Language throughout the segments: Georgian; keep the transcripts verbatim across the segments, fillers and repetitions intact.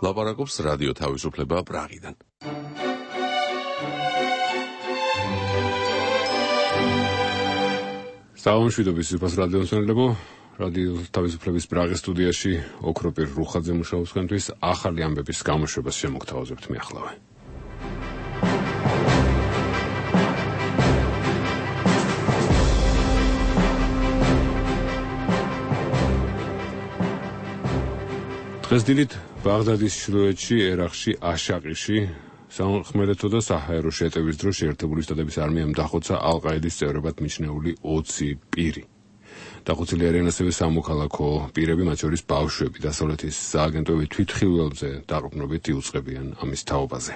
ლაპარაკობს რადიო თავისუფლება პრაღიდან. საუბრობთ სიფას რადიოსმენელებო, რადიო თავისუფლების პრაღის სტუდიაში ოქროპირ რუხაძე მუშაობს თქვენთვის ახალი ამბების გამოშვებას შემოგთავაზებთ მე ახლავე. დღეს დილით ბაღდადის ჩრდილოეთში, ერაყში, აშაყიში სამხმელეთო და საჰაერო შეტევის დროს შეერთებული შტატების არმიამ დახოცა ალ-ყაიდის წევრებად მიჩნეული ოცი პირი. დახოცილი არიან ასევე სამოქალაქო პირები, მათ შორის ბავშვები, დასავლეთის სააგენტოები თვითხილველზე დაყრდნობით იუწყებიან ამის თაობაზე.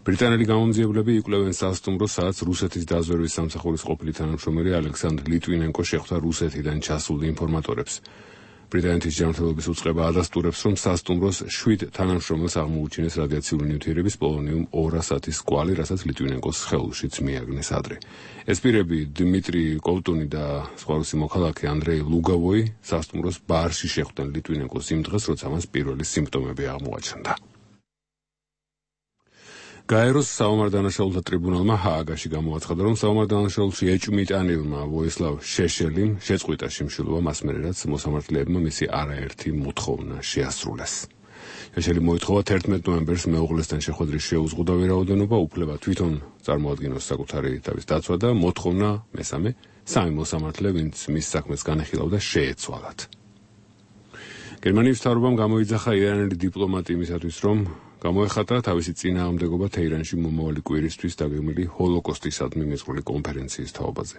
ბრიტანელი გამომძიებლები იკვლევენ სასტუმროს, სადაც რუსეთის დაზვერვის სამსახურის ყოფილი თანამშრომელი ალექსანდრ ლიტვინენკო შეხვდა რუსეთიდან ჩასულ ინფორმატორებს. ბრიტანეთის ჯანმრთელობის უწყება ადასტურებს, რომ სასტუმროს შვიდ თანამშრომელს აღმოუჩინეს რადიაციული ნივთიერების პოლონიუმ ორასათის კვალი, რასაც ლიტვინენკოს სხეულშიც მიაგნეს ადრე. ეს პირები დიმიტრი კოვტუნი და სხვა რუსი მოქალაქე ანდრეი ლუგავოი სასტუმროს ბარში შეხვდნენ ლიტვინენკოს იმ დღეს, როცა მას პირველი სიმპტომები აღმოაჩნდა. გაეროს საომარ-დანაშაულთა ტრიბუნალმა ჰააგაში გამოაცხადა, რომ საომარ-დანაშაულში ეჭვმიტანილმა ვოისლავ შეშელიმ შეწყვიტა შიმშილობა მას მერე, რაც მოსამართლეებმა მისი არაერთი მოთხოვნა შეასრულეს. შეშელიმ მოითხოვა თერთმეტ ნოემბერს მეუღლესთან შეხვედრის შეუზღუდა ვერაუდენობა, უფლება თვითონ წარმოადგინოს საკუთარი თავის დაცვა და მოთხოვნა მესამე სამი მოსამართლე, ვინც მის საქმეს განეხილავდა, შეეცვალათ. გერმანიის მთავრობამ გამოიძახა ირანელი დიპლომატი იმისათვის, რომ გამოეხატა თავისი წინააღმდეგობა თეირანში მომავალი კვირისთვის დაგეგმილი ჰოლოკოსტისადმი მეზღველი კონფერენციის თაობაზე.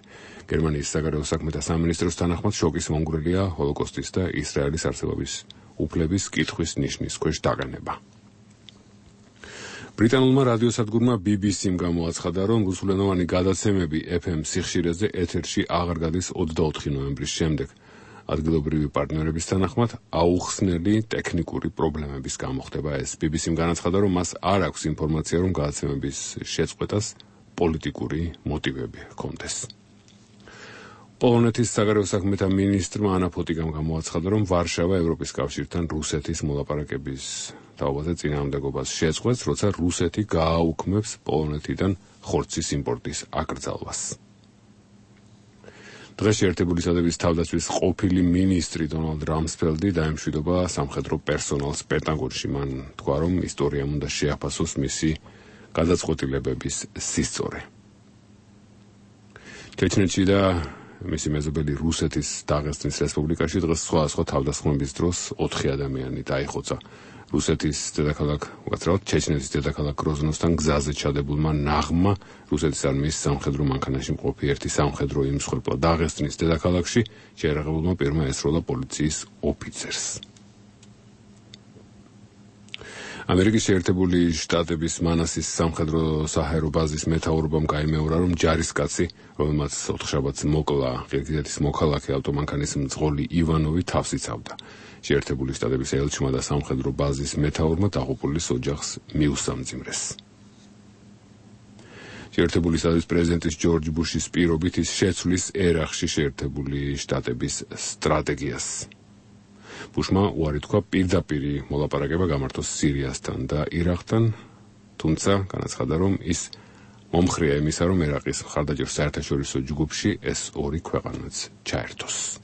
გერმანიის საგარეო საქმეთა სამინისტროს თანახმად შოკის მომგვრელია ჰოლოკოსტის და ისრაელის არსებობის უფლების კითხვის ნიშნის ქვეშ დაყენება. ბრიტანულმა რადიოსადგურმა ბი ბი სიმ გამოაცხადა, რომ რუსულენოვანი გადაცემები ეფ ემ სიხშირეზე ეთერში აღარ გადის ოცდაოთხი ნოემბრის შემდეგ. ადგილობრივი პარტნიორების თანახმად აუხსნელი ტექნიკური პრობლემების გამო ხდება ეს. ბი ბი სიმ განაცხადა, რომ მას არ აქვს ინფორმაცია, რომ გადაცემების შეწყვეტას პოლიტიკური მოტივები ჰქონდეს. პოლონეთის საგარეო საქმეთა მინისტრმა ანა ფოტიკამ გამოაცხადა, რომ ვარშავა ევროპის კავშირთან რუსეთის მოლაპარაკების თაობაზე წინააღმდეგობას შეწყვეტს, როცა რუსეთი გააუქმებს პოლონეთიდან ხორცის იმპორტის აკრძალვას. დღეს შეერთებული შტატების თავდაცვის ყოფილი მინისტრი დონალდ რამსფელდი დაემშვიდობა სამხედრო პერსონალს პენტაგონში. მან თქვა, რომ ისტორიამ უნდა შეაფასოს მისი გადაწყვეტილებების სისწორე. ჩეჩნეთში და მისი მეზობელი რუსეთის დაღესტნის რესპუბლიკაში დღეს სხვადასხვა თავდასხმების დროს ოთხი ადამიანი დაიხოცა. რუსეთის დედაქალაქ, უცრავად ჩეჩნეთის დედაქალაქ გროზნოსთან გზაზე ჩადებულმა ნაღმა რუსეთის არმიის სამხედრო მანქანაში მყოფი ერთი სამხედრო იმსხვერპლა. დაღესტნის დედაქალაქში შეერაღებულმა პირმა ესროლა პოლიციის ოფიცერს. ამერიკის შეერთებული შტატების მანასის სამხედრო საჰაერო ბაზის მეთაურობამ გაიმეორა, რომ ჯარისკაცი, რომელმაც ოთხშაბათს მოკლა ყირგიზეთის მოქალაქე ავტომანქანის მძღოლი ივანოვი, თავს იცავდა. შეერთებული შტატების ელჩმა და სამხედრო ბაზის მეთაურმა დაღუპულის ოჯახს მიუსამძიმრეს. შეერთებული შტატების პრეზიდენტის ჯორჯ ბუშის პირობით ის შეცვლის ერაყში შეერთებული შტატების სტრატეგიას. ბუშმა უარი თქვა პირდაპირი მოლაპარაკება გამართოს სირიასთან და ირაყთან, თუმცა განაცხადა, რომ ის მომხრეა იმისა, რომ ერაყის მხარდაჭერ საერთაშორისო ჯგუფში ეს ორი ქვეყანაც ჩაერთოს.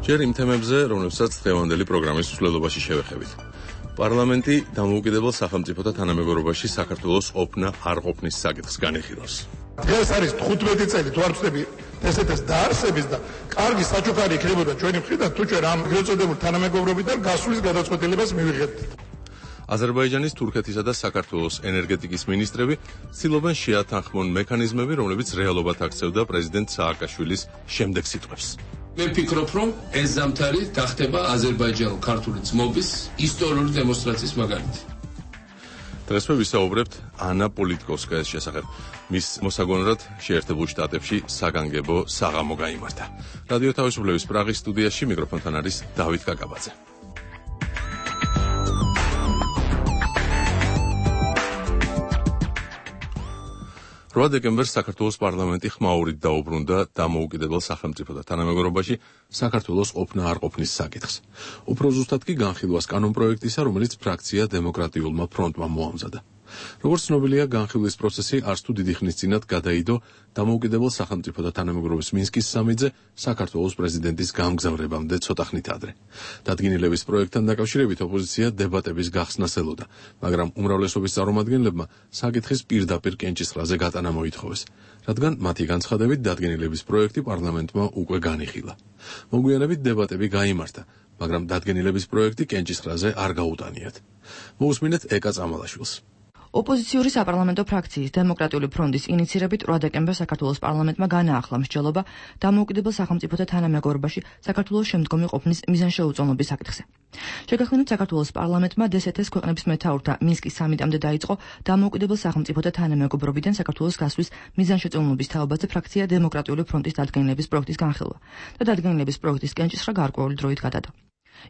ჯერ იმ თემებზე, რომლებსაც დღევანდელი პროგრამის მსვლელობაში შევეხებით. პარლამენტი დამოუკიდებელ სახელმწიფოთა თანამეგობრობაში საქართველოს ყოფნა არ ყოფნის საკითხს განიხილავს. დღეს არის თხუთმეტი წელი თუ არ ვწდები ესეთეს დაარსების და კარგი საჩუქარი იქნებოდა ჩვენი მხრიდან, თუ ჩვენ ამ გეწოდებულ თანამეგობრობიდან გასვლის გადაწყვეტილებას მივიღებთ. აზერბაიჯანის, თურქეთისა და საქართველოს ენერგეტიკის მინისტრები ცდილობენ შეათანხმონ მექანიზმები, რომლებიც რეალობად აქცევდა პრეზიდენტ სააკაშვილის შემდეგ სიტყვებს. მე ვფიქრობ, რომ ეს ზამთარი გახდება აზერბაიჯანულ-ქართული ძმობის ისტორიული დემონსტრაციის მაგალითი. დღეს მე ვისაუბრებთ ანა პოლიტკოვსკაის შესახებ. მის მოსაგონად შეერთებულ შტატებში საგანგებო საღამო გაიმართა. რადიო თავისუფლების პრაღის სტუდიაში მიკროფონთან არის დავით კაკაბაძე. რვა დეკემბერს საქართველოს პარლამენტი ხმაურით დაუბრუნდა დამოუკიდებელ სახელმწიფოთა თანამეგობრობაში საქართველოს ყოფნა არ ყოფნის საკითხს. უფრო ზუსტად კი განხილვას კანონპროექტისა, რომელიც ფრაქცია დემოკრატიულმა ფრონტმა მოამზადა. როგორც ცნობილია, განხილვის პროცესი არც თუ დიდი ხნის წინათ გადაიდო დამოუკიდებელ სახელმწიფოთა თანამეგობრობის მინსკის სამიტზე საქართველოს პრეზიდენტის გამგზავრებამდე ცოტა ხნით ადრე. დადგენილების პროექტთან დაკავშირებით ოპოზიცია დებატების გახსნას ელოდა, მაგრამ უმრავლესობის წარმომადგენლებმა საკითხის პირდაპირ კენჭისყრაზე გატანა მოითხოვეს, რადგან მათი განცხადებით დადგენილების პროექტი პარლამენტმა უკვე განიხილა. მოგვიანებით დებატები გაიმართა, მაგრამ დადგენილების პროექტი კენჭისყრაზე არ გაუტანიათ. მოусმინეთ ეკა წამალაშვილს. ოპოზიციური საპარლამენტო ფრაქციის დემოკრატიული ფრონტის ინიცირებით რვა დეკემბერს საქართველოს პარლამენტმა განაახლა მსჯელობა დამოუკიდებელ სახელმწიფოთა თანამეგობრობაში საქართველოს შემდგომი ყოფნის მიზანშეუწონლობის საკითხზე. შეგახსენებთ, საქართველოს პარლამენტმა დე ეს ე-ს ქვეყნების მეთაურთა მინსკის სამიტამდე დაიწყო დამოუკიდებელ სახელმწიფოთა თანამეგობრობიდან საქართველოს გასვლის მიზანშეწონლობის თაობაზე ფრაქცია დემოკრატიული ფრონტის დადგენილების პროექტის განხილვა და დადგენილების პროექტის კენჭისყრა გარკვეული დროით გადადო.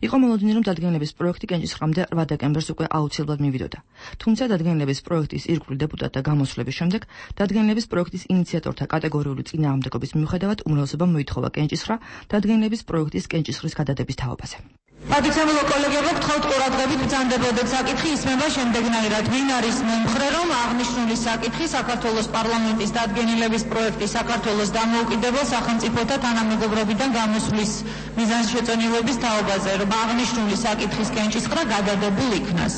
იყო მოლოდინი, რომ დადგენილების პროექტი კენჭისყრამდე რვა დეკემბერს უკვე აუცილებლად მივიდოდა. თუმცა დადგენილების პროექტის ირგვლივ დეპუტატთა გამოსვლების შემდეგ დადგენილების პროექტის ინიციატორთა კატეგორიული წინააღმდეგობის მიუხედავად უმრავლესობამ მოითხოვა კენჭისყრა დადგენილების პროექტის კენჭისყრის გადადების თაობაზე. Მადლობთ კოლეგებო, გთხოვთ ყურადღებით ბრძანდებოდეთ საკითხი ისმება შემდეგნაირად. ვინ არის მომხრე, რომ აღნიშნული საკითხი საქართველოს პარლამენტის დადგენილების პროექტი საქართველოს დამოუკიდებელ სახელმწიფოთა თანამეგობრობიდან გამოსვლის მიზანშეწონილობის თაობაზე, რომ აღნიშნული საკითხის კენჭისყრა გადადებულ იქნას.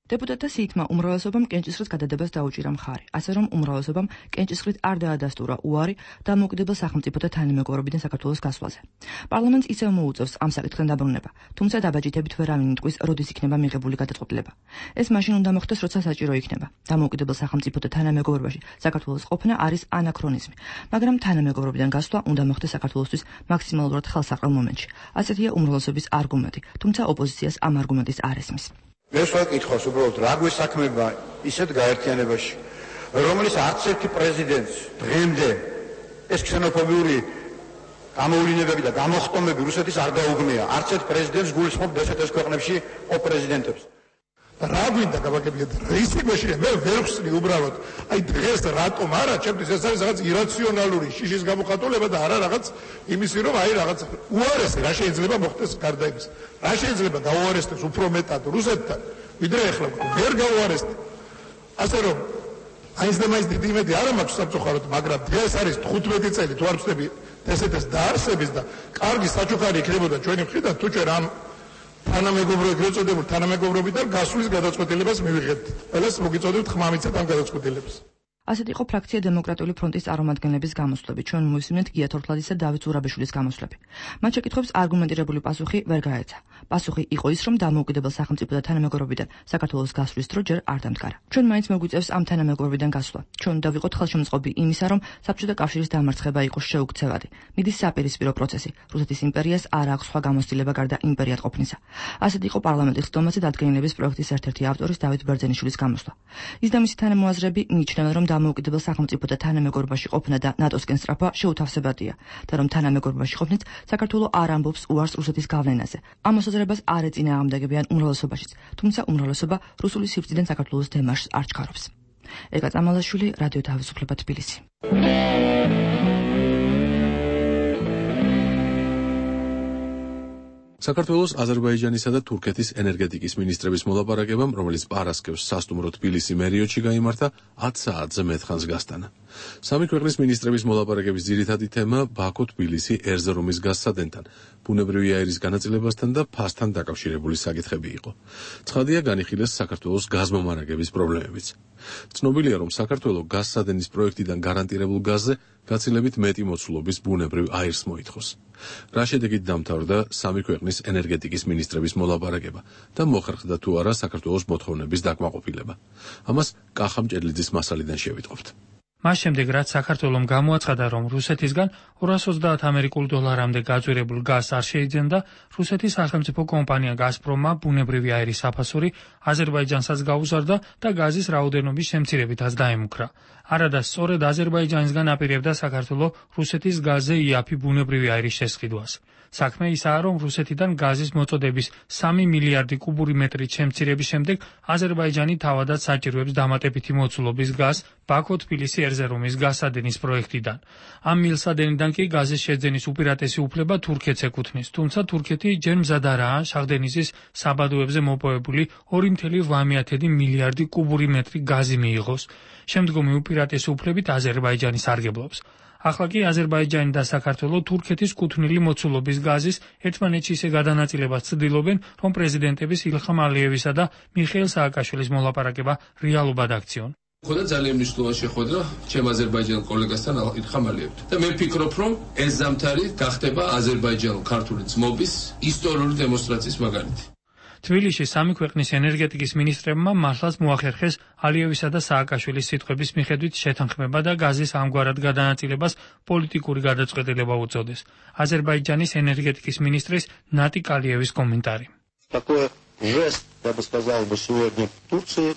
დეპუტატთა სიითმა უმრავლესობამ კენჭისყრის გადადებას დაუჭირა მხარი, ასე რომ უმრავლესობამ კენჭისყრით არ დაადასტურა უარი დამოუკიდებელ სახელმწიფოთა თანამეგობრობიდან საქართველოს გასვლაზე. პარლამენტს ისევ მოუწევს ამ საკითხთან დაბრუნება, თუმცა დაბაჯითებით ვერავინ იტყვის, როდის იქნება მიღებული გადაწყვეტილება. ეს მაშინ უნდა მოხდეს, როცა საჭირო იქნება. დამოუკიდებელ სახელმწიფოთა თანამეგობრობაში საქართველოს ყოფნა არის ანაქრონიზმი, მაგრამ თანამეგობრობიდან გასვლა უნდა მოხდეს საქართველოსთვის მაქსიმალურად ხელსაყრელ მომენტში. ასეთია უმრავლესობის არგუმენტი, თუმცა ოპოზიციას ამ არგუმენტის არ ესმის. ეს ვაკითხავს უბრალოდ რა გვესაქმება ისეთ გაერთიანებაში, რომელიც არც ერთი პრეზიდენტს დღემდე ეს ქსენოფობიური გამოვლინებები და გამოხტომები რუსეთის არ დაუგმია. არც ერთ პრეზიდენტს გულისხმობ დე ეს ე-ს ქვეყნებში ყოფ პრეზიდენტებს. რა გვინდა გავაკეთებიეთ რისი გვეშია მე ვერ ვხსნი უბრალოდ აი დღეს რატომ არა ჩემთვის ეს არის რაღაც ირაციონალური შიშის გამოხატულება და არა რაღაც იმისი რომ აი რაღაც უარესი რა შეიძლება მოხდეს გარდა იმის რა შეიძლება გაუარესდეს უფრო მეტად რუსეთთან ვიდრე ახლა ვერ გაუარესდა ასე რომ აი ეს და მაინც დიდი იმედი არ მაქვს სამწუხაროდ მაგრამ დღეს არის თხუთმეტი წელი თუ არ ვწდები დე ეს ე-ს დაარსების და კარგი საჩუქარი იქნებოდა ჩვენი მხრიდან თუ ჩვენ ამ თანამეგობრობად გეწოდებულ თანამეგობრობიდან გასვლის გადაწყვეტილებას მივიღებთ. ყველას მოგიწოდებთ ხმამიცად ამ გადაწყვეტილებას. ასეთ იყო ფრაქცია დემოკრატიული ფრონტის წარმომადგენლების გამოსვლები. ჩვენ მოვისმინეთ გია თორთლაძის და დავით ზურაბიშვილის გამოსვლები. მათ შეკითხვებს არგუმენტირებული პასუხი ვერ გაეცა. პასუხი იყო ის, რომ დამოუკიდებელ სახელმწიფოთა თანამეგობრობიდან საქართველოს გასვლის დრო ჯერ არ დამდგარა. ჩვენ მაინც მოგვიწევს ამ თანამეგობრობიდან გასვლა. ჩვენ უნდა ვიყოთ ხელშემწყობი იმისა, რომ საბჭოთა კავშირის დამარცხება იყოს შეუქცევადი. მიდის საპირისპირო პროცესი. რუსეთის იმპერიას არ აქვს სხვა გამოცდილება გარდა იმპერიად ყოფნისა. ასეთ იყო პარლამენტის ხდომაზე დადგენილების პროექტის ერთ-ერთი ავტორის დავით ბერძენიშვილის გამოსვლა. ის და მისი თანამოაზრები მიიჩნევენ, რომ დამოუკიდებელ სახელმწიფოთა თანამეგობრობაში ყოფნა და ნატოსკენ სწრაფვა შეუთავსებადია და რომ თანამეგობრობაში ყოფნით საქართველო არ ამბობს უარს რუსეთის გავლენაზე. ამ მოსაზრებას არ ეწინააღმდეგებიან უმრავლესობაშიც, თუმცა უმრავლესობა რუსული სივრციდან საქართველოს დემარშს არ ჩქარობს. ეკა წამალაშვილი, რადიო თავისუფლება თბილისი. საქართველოს, აზერბაიჯანისა და თურქეთის ენერგეტიკის მინისტრების მოლაპარაკებამ, რომელიც პარასკევს სასტუმრო თბილისი მერიოტში გაიმართა, ათ საათზე მეტხანს გასტანა. სამი ქვეყნის მინისტრების მოლაპარაკების ძირითადი თემა ბაქო-თბილისი ერზრუმის გაზსადენთან, ბუნებრივი აირის განაწილებასთან და ფასთან დაკავშირებული საკითხები იყო. ცხადია, განიხილეს საქართველოს გაზმომარაგების პრობლემებიც. ცნობილია, რომ საქართველოს გაზსადენის პროექტიდან გარანტირებულ გაზზე გაცილებით მეტი მოცულობის ბუნებრივ აირს მოითხოვს. რა შედეგით დამთავრდა სამი ქვეყნის ენერგეტიკის მინისტრების მოლაპარაკება და მოხერხდა თუ არა საქართველოს მოთხოვნების დაკმაყოფილება. ამას კახა მჭედლიძის მასალიდან შევიტყობთ. მას შემდეგ, რაც საქართველომ გამოაცხადა, რომ რუსეთისგან ორას ოცდაათ ამერიკულ დოლარამდე გაძვირებულ გაზს არ შეიძენდა, რუსეთის სახელმწიფო კომპანია გაზპრომმა ბუნებრივი აირის საფასური აზერბაიჯანსაც გაუზარდა და გაზის რაოდენობის შემცირებითაც დაემუქრა. არადა სწორედ აზერბაიჯანისგან აპირებდა საქართველოს რუსეთის გაზზე იაფი ბუნებრივი აირის შესყიდვას. საქმე ისაა, რომ რუსეთიდან გაზის მოწოდების სამი მილიარდი კუბური მეტრით შემცირების შემდეგ აზერბაიჯანი თავადაც საჭიროებს დამატებითი მოცულობის გაზს ბაქო-თბილისი ერზერუმის გაზსადენის პროექტიდან. ამ მილსადენიდან კი გაზის შეძენის უპირატესი უფლება თურქეთს ეკუთვნის, თუმცა თურქეთი ჯერ მზად არაა შახდენისის საბადოებზე მოპოვებული ორი წუთი ორმოცდაათი მილიარდი კუბური მეტრი გაზი მიიღოს. შემდგომი უპირატესი უფლებით აზერბაიჯანი სარგებლობს. ახლა კი აზერბაიჯანი და საქართველო თურქეთის კუთვნილი მოცულობის გაზის ერთმანეთში ისე გადანაწილებას ცდილობენ, რომ პრეზიდენტების ილხამ ალიევისა და მიხეილ სააკაშვილის მოლაპარაკება რეალობად აქციონ. ხოდა ძალიან მნიშვნელოვანი შეხვედრა ჩემ აზერბაიჯანელ კოლეგასთან ილხამ ალიევთან. და მე ვფიქრობ, რომ ეს ზამთარი გახდება აზერბაიჯანულ-ქართული ძმობის ისტორიული დემონსტრაციის მაგალითი. თბილისში სამი ქვეყნის ენერგეტიკის მინისტრებმა მართლაც მოახერხეს ალიევისა და სააკაშვილის სიტყვების მიხედვით შეთანხმება და გაზის ამგვარად გადანაწილებას პოლიტიკური გადაწყვეტილება უწოდეს. აზერბაიჯანის ენერგეტიკის მინისტრის ნატი კალიევის კომენტარი. Такой жест, я бы сказал, бы сегодня Турции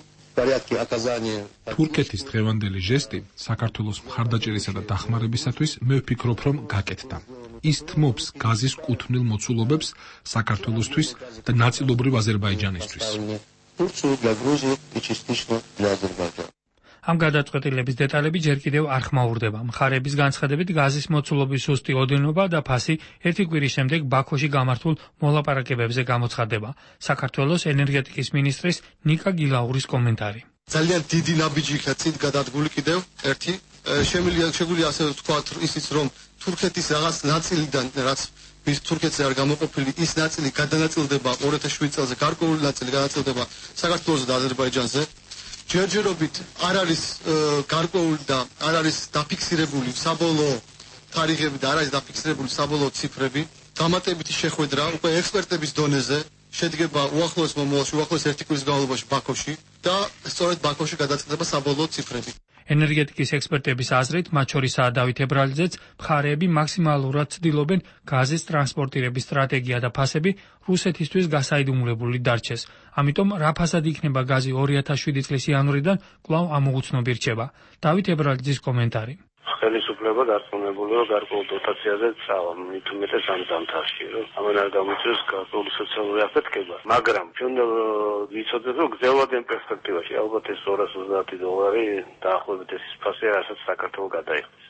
თურქეთის დღევანდელი ჟესტი საქართველოს მხარდაჭერისა და დახმარებისათვის მე ვფიქრობ, რომ გაკეთდა. ის თმობს გაზის კუთვნილ მოცულობებს საქართველოსთვის და ნაწილობრივ აზერბაიჯანისთვის. ამ გადაწყვეტილების დეტალები ჯერ კიდევ არ ხმაურდება. მხარების განცხადებით გაზის მოცულობის სუსტი ოდენობა და ფასი ერთი კვირის შემდეგ ბაქოში გამართულ მოლაპარაკებებზე გამოცხადდება. საქართველოს ენერგეტიკის მინისტრის ნიკა გილაურის კომენტარი. ძალიან დიდი ნაბიჯი იქნა წინ გადადგული კიდევ ერთი. შეგვიძლია ასე ვთქვათ ისიც, რომ თურქეთის რაღაც ნაწილიდან, რაც მის თურქეთზე არ გამოყოფილი, ის ნაწილი გადანაწილდება ორი ათას შვიდ წელზე, გარკვეული ნაწილი გადანაწილდება საქართველოს და აზერბაიჯანზე. ჯერჯერობით არ არის გარკვეული და არ არის დაფიქსირებული საბოლოო თარიღები და არ არის დაფიქსირებული საბოლოო ციფრები. დამატებითი შეხვედრა უკვე ექსპერტების დონეზე შედგება უახლოეს მომავალში, უახლოეს ერთი კვირის განმავლობაში ბაქოში და სწორედ ბაქოში გადაწყდება საბოლოო ციფრები. ენერგეტიკის ექსპერტების აზრით, მათ შორისაა დავით ებრალიძეც, მხარეები მაქსიმალურად ცდილობენ გაზის ტრანსპორტირების სტრატეგია და ფასები რუსეთისთვის გასაიდუმლებული დარჩეს. ამიტომ რა ფასად იქნება გაზი ორი ათას შვიდი წლის იანვრიდან კვლავ ამოუცნობი რჩება. დავით ებრალიძის კომენტარი. ხელისუფლება დარწმუნებულია გარკვეულ დოტაციაზე წავა, მით უმეტეს ამ ზამთარში, რომ ამან არ გამოიწვევს გარკვეული სოციალური აფეთქება. მაგრამ ჩვენ ვიცოდეთ, რომ გრძელვადიან პერსპექტივაში ალბათ ეს ორას ოცდაათი დოლარი დაახლოებით ეს ფასი რასაც საქართველოს გადაიხდის.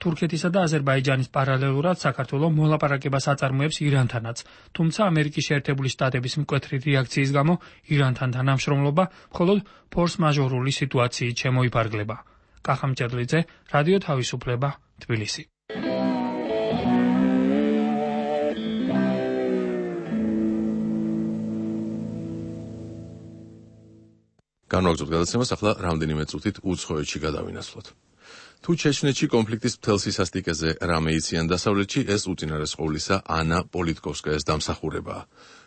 თურქეთისა და აზერბაიჯანის პარალელურად საქართველოს მოლაპარაკებას აწარმოებს ირანთანაც, თუმცა ამერიკის შეერთებული შტატების მკვეთრი რეაქციის გამო ირანთან თანამშრომლობა მხოლოდ ფორს-მაჟორული სიტუაციით შემოიფარგლება. კახამჭედლიძე, რადიო თავისუფლება, თბილისი. განვაგრძოთ გადაცემას, ახლა რამდენიმე წუთით უცხოეთში გადავინაცვლოთ. თუ ჩეჩნეთში კონფლიქტის მთელ სისასტიკეზე რამე იციან დასავლეთში, ეს უწინარეს ყოვლისა ანა პოლიტკოვსკაიას დამსახურებაა.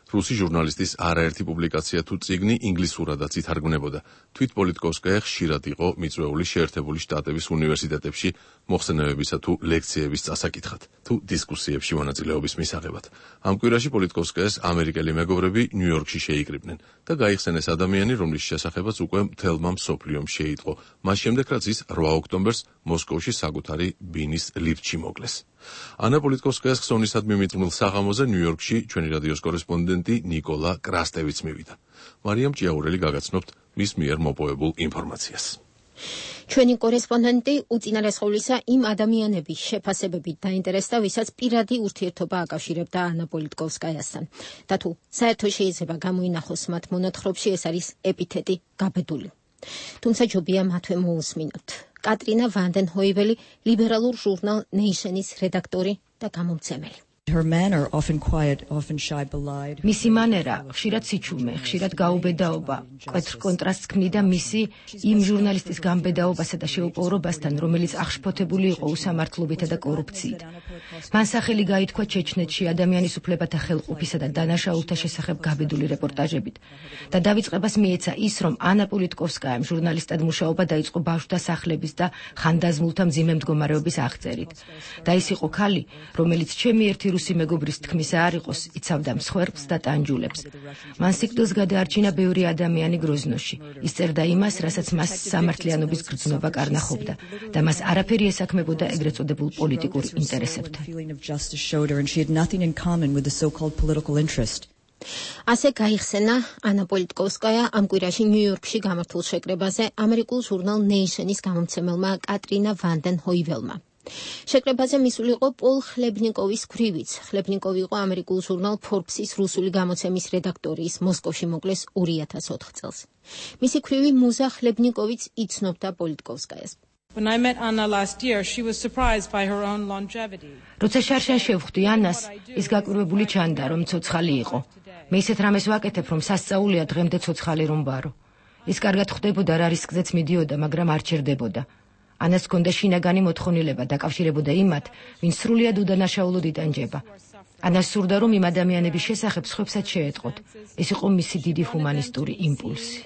რუსი ჟურნალისტის არაერთი პუბლიკაცია თუ წიგნი ინგლისურადაც ითარგმნებოდა. თვით პოლიტკოვსკაია ხშირად იყო მიწვეული შეერთებული შტატების უნივერსიტეტებში მოხსენებებისა თუ ლექციების წასაკითხად, თუ დისკუსიებში მონაწილეობის მისაღებად. ამ კვირაში პოლიტკოვსკაიას ამერიკელი მეგობრები ნიუ-იორკში შეიკრიბნენ და გაიხსენეს ადამიანი, რომლის შესახებაც უკვე მთელმა მსოფლიომ შეიტყო, მას შემდეგ რაც ის რვა ოქტომბერს მოსკოვში საკუთარი ბინის ლიფტში მოკლეს. ანა პოლიტკოვსკაიას ხსოვნისადმი მიწმილ საღამოზე ნიუ-იორკში ჩვენი რადიოს კორესპონდენტი ნიკოლა კრასტევიც მივიდა. მარიამ ჭიაურელი გაგაცნობთ მის მიერ მოპოვებულ ინფორმაციას. ჩვენი კორესპონდენტი უწინარეს ყოვლისა იმ ადამიანების შეფასებებით დაინტერესდა, ვისაც პირადი ურთიერთობა აკავშირებდა ანა პოლიტკოვსკაიასთან. და თუ საერთოდ შეიძლება გამოინახოს მათ მონათხრობში, ეს არის ეპითეტი გაბედული. თუმცა ჯობია მათვე მოусმინოთ. კატრინა ვანდენჰოიველი, ლიბერალურ ჟურნალ ნეიშენის რედაქტორი და გამომცემელი. Her manner often quiet, often shy, belied. მისი მანერა ხშირად სიჩუმე, ხშირად გაუბედაობა, კვეთრ კონტრასტს ქმნიდა მისი იმ ჟურნალისტის გამბედაობასა და შეუპოვრობასთან, რომელიც აღშფოთებული იყო უსამართლობითა და კორუფციით. მან სახელი გაითქვა ჩეჩნეთში ადამიანის უფლებათა ხელყოფისა და დანაშაულთა შესახებ გაბედული რეპორტაჟებით და დავიწყებას მიეცა ის, რომ ანა პოლიტკოვსკაიამ ჟურნალისტად მუშაობა დაიწყო ბავშვთა სახლების და ხანდაზმულთა მძიმე მდგომარეობის აღწერით. და ის იყო ქალი, რომელიც ჩემი ერთი რუსი მეგობრის თქმისა არ იყოს, იცავდა მსხვერპლს და ტანჯულებს. მან სიკვდილს გადაარჩინა ბევრი ადამიანი გროზნოში. ის წერდა იმას, რასაც მას სამართლიანობის გრძნობა კარნახობდა და მას არაფერი ესაქმებოდა ეგრეთ წოდებულ პოლიტიკურ ინტერესებთან. ასე გაიხსენა ანა პოლიტკოვსკაია ამ კვირაში ნიუ-იორკში გამართულ შეკრებაზე ამერიკულ ჟურნალ ნეიშენის გამომცემელმა კატრინა ვანდენ ჰოიველმა. შეკრებაზე მისული იყო პოლ ხლებნიკოვის ქვრივიც. ხლებნიკოვი იყო ამერიკულ ჟურნალ ფორბსის რუსული გამოცემის რედაქტორი, ის მოსკოვში მოკლეს ორი ათას ოთხ წელს. მისი ქვრივი მუზა ხლებნიკოვიც იცნობდა პოლიტკოვსკაიას. When I met Anna last year, she was surprised by her own longevity. როცა შარშან შევხვდი ანას, ის გაკვირვებული ჩანდა, რომ ცოცხალი იყო. მე ისეთ რამეს ვაკეთებ, რომ სასწაულია დღემდე ცოცხალი რომ ვარო. ის კარგად ხვდებოდა რა რისკზეც მიდიოდა, მაგრამ არ ჩერდებოდა. ანას ჰქონდა შინაგანი მოთხოვნილება დაკავშირებოდა იმათ, ვინც სრულიად უდანაშაულოდ იტანჯება. ანას სურდა, რომ იმ ადამიანების შესახებ სხვებსაც შეეტყოთ. ეს იყო მისი დიდი ჰუმანისტური იმპულსი.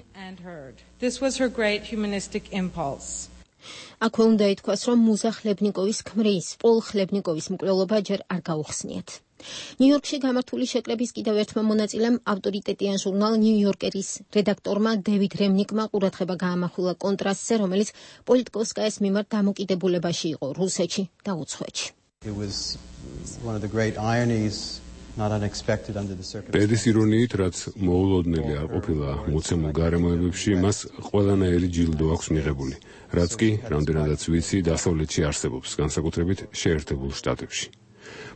This was her great humanistic impulse. აქვე უნდა ითქვას, რომ მუზა ხლებნიკოვის ქმრის, პოლ ხლებნიკოვის მკვლელობა ჯერ არ გაუხსნიათ. ნიუ-იორკში გამართული შეკრების კიდევ ერთმა მონაწილემ ავტორიტეტიან ჟურნალ ნიუ-იორკერის რედაქტორმა დევიდ რემნიკმა ყურადღება გაამახვილა კონტრასტზე, რომელიც პოლიტკოვსკაიას მიმართ დამოკიდებულებაში იყო რუსეთში და უცხოეთში. It was one of the great ironies, not unexpected under the circumstances. პედის ირონიით, რაც მოულოდნელი არ ყოფილა მოცემულ გარემოებებში, მას ყველანაირი ჯილდო აქვს მიღებული, რაც კი, რამდენადაც ვიცი, დასავლეთში არსებობს, განსაკუთრებით შეერთებულ შტატებში.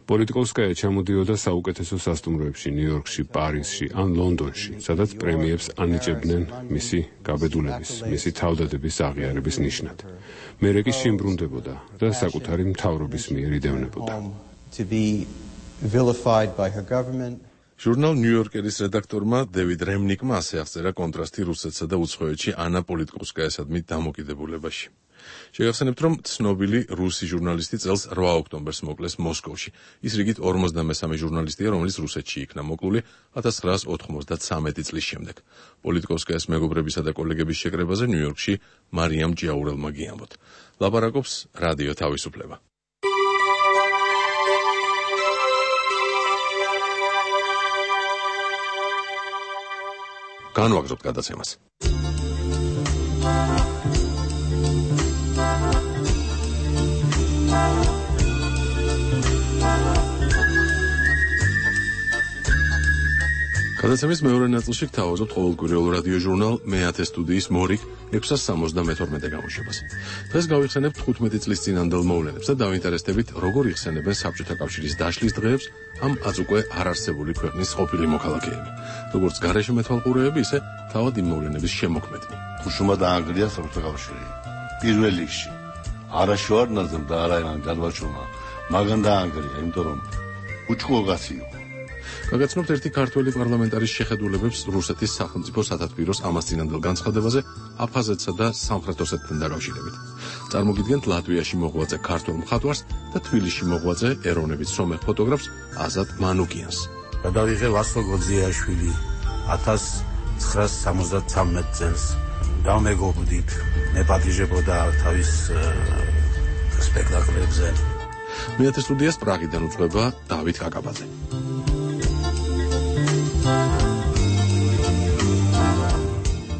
პოლიტკოვსკაია ჩამოდიოდა საუკეთესო სასტუმროებში ნიუ-იორკში, პარიზში ან ლონდონში, სადაც პრემიებს ანიჭებდნენ მისი გაბედულების, მისი თავდადების აღიარების ნიშნად. მერე კი შიმბრუნდებოდა და საკუთარი მთავრობის მიერ იდევნებოდა. Vilified by her government. ჟურნალ ნიუ-იორკერის რედაქტორმა დევიდ რემნიკმა ასე აღწერა კონტრასტი რუსეთსა და უცხოეთში ანა პოლიტკოვსკაიასადმი დამოკიდებულებაში. შეგახსენებთ, რომ ცნობილი რუსი ჟურნალისტი წელს რვა ოქტომბერს მოკლეს მოსკოვში. ის რიგით ორმოცდამესამე ჟურნალისტია, რომელიც რუსეთში იქნა მოკლული ათას ცხრაას ოთხმოცდათსამეტი წლის შემდეგ. პოლიტკოვსკაიას მეგობრებისა და კოლეგების შეკრებაზე ნიუ-იორკში მარიამ ჭიაურელმა გიამბოთ. ლაპარაკობს რადიო თავისუფლება. განვაგრძობთ გადაცემას. გადაცემის მეორე ნაწილში გთავაზობთ ყოველკვირეულ რადიო ჟურნალ მეათე სტუდიის მორიგ ექვსას სამოცდამეთორმეტე გამოშვებას. დღეს გავიხსენებთ თხუთმეტი წლის წინანდელ მოვლენებს და დავინტერესდებით, როგორ იხსენებენ საბჭოთა კავშირის დაშლის დღეებს ამ აწუკვე არარსებული ქვეყნის ყოფილი მოქალაქეები, როგორც გარეშე მეთვალყურეები, ისე თავად იმ მოვლენების შემოქმედი. უშუმა დაანგრია საბჭოთა კავშირი. პირველ რიგში არაშევარდნაძემ და არაერან გადვაჩვენა, მაგან დაანგრია, იმიტომ რომ უჩქუღაცი იყო. გაგაცნობთ ერთი ქართველი პარლამენტარის შეხედულებებს რუსეთის სახელმწიფო სათათბიროს ამას წინანდელ განცხადებაზე აფხაზეთსა და სამხრეთ ოსეთთან დაკავშირებით. წარმოგიდგენთ ლატვიაში მოღვაწე ქართველ მხატვარს და თბილისში მოღვაწე ეროვნებით სომეხ ფოტოგრაფს აზატ მანუკიანს. გადავიღე ვასო გოძიაშვილი ათას ცხრაას სამოცდათვრამეტ წელს. დამეგობრდით, მეპატიჟებოდა თავის სპექტაკლებზე. მეათე სტუდიას პრაღიდან უძღვება დავით კაკაბაძე.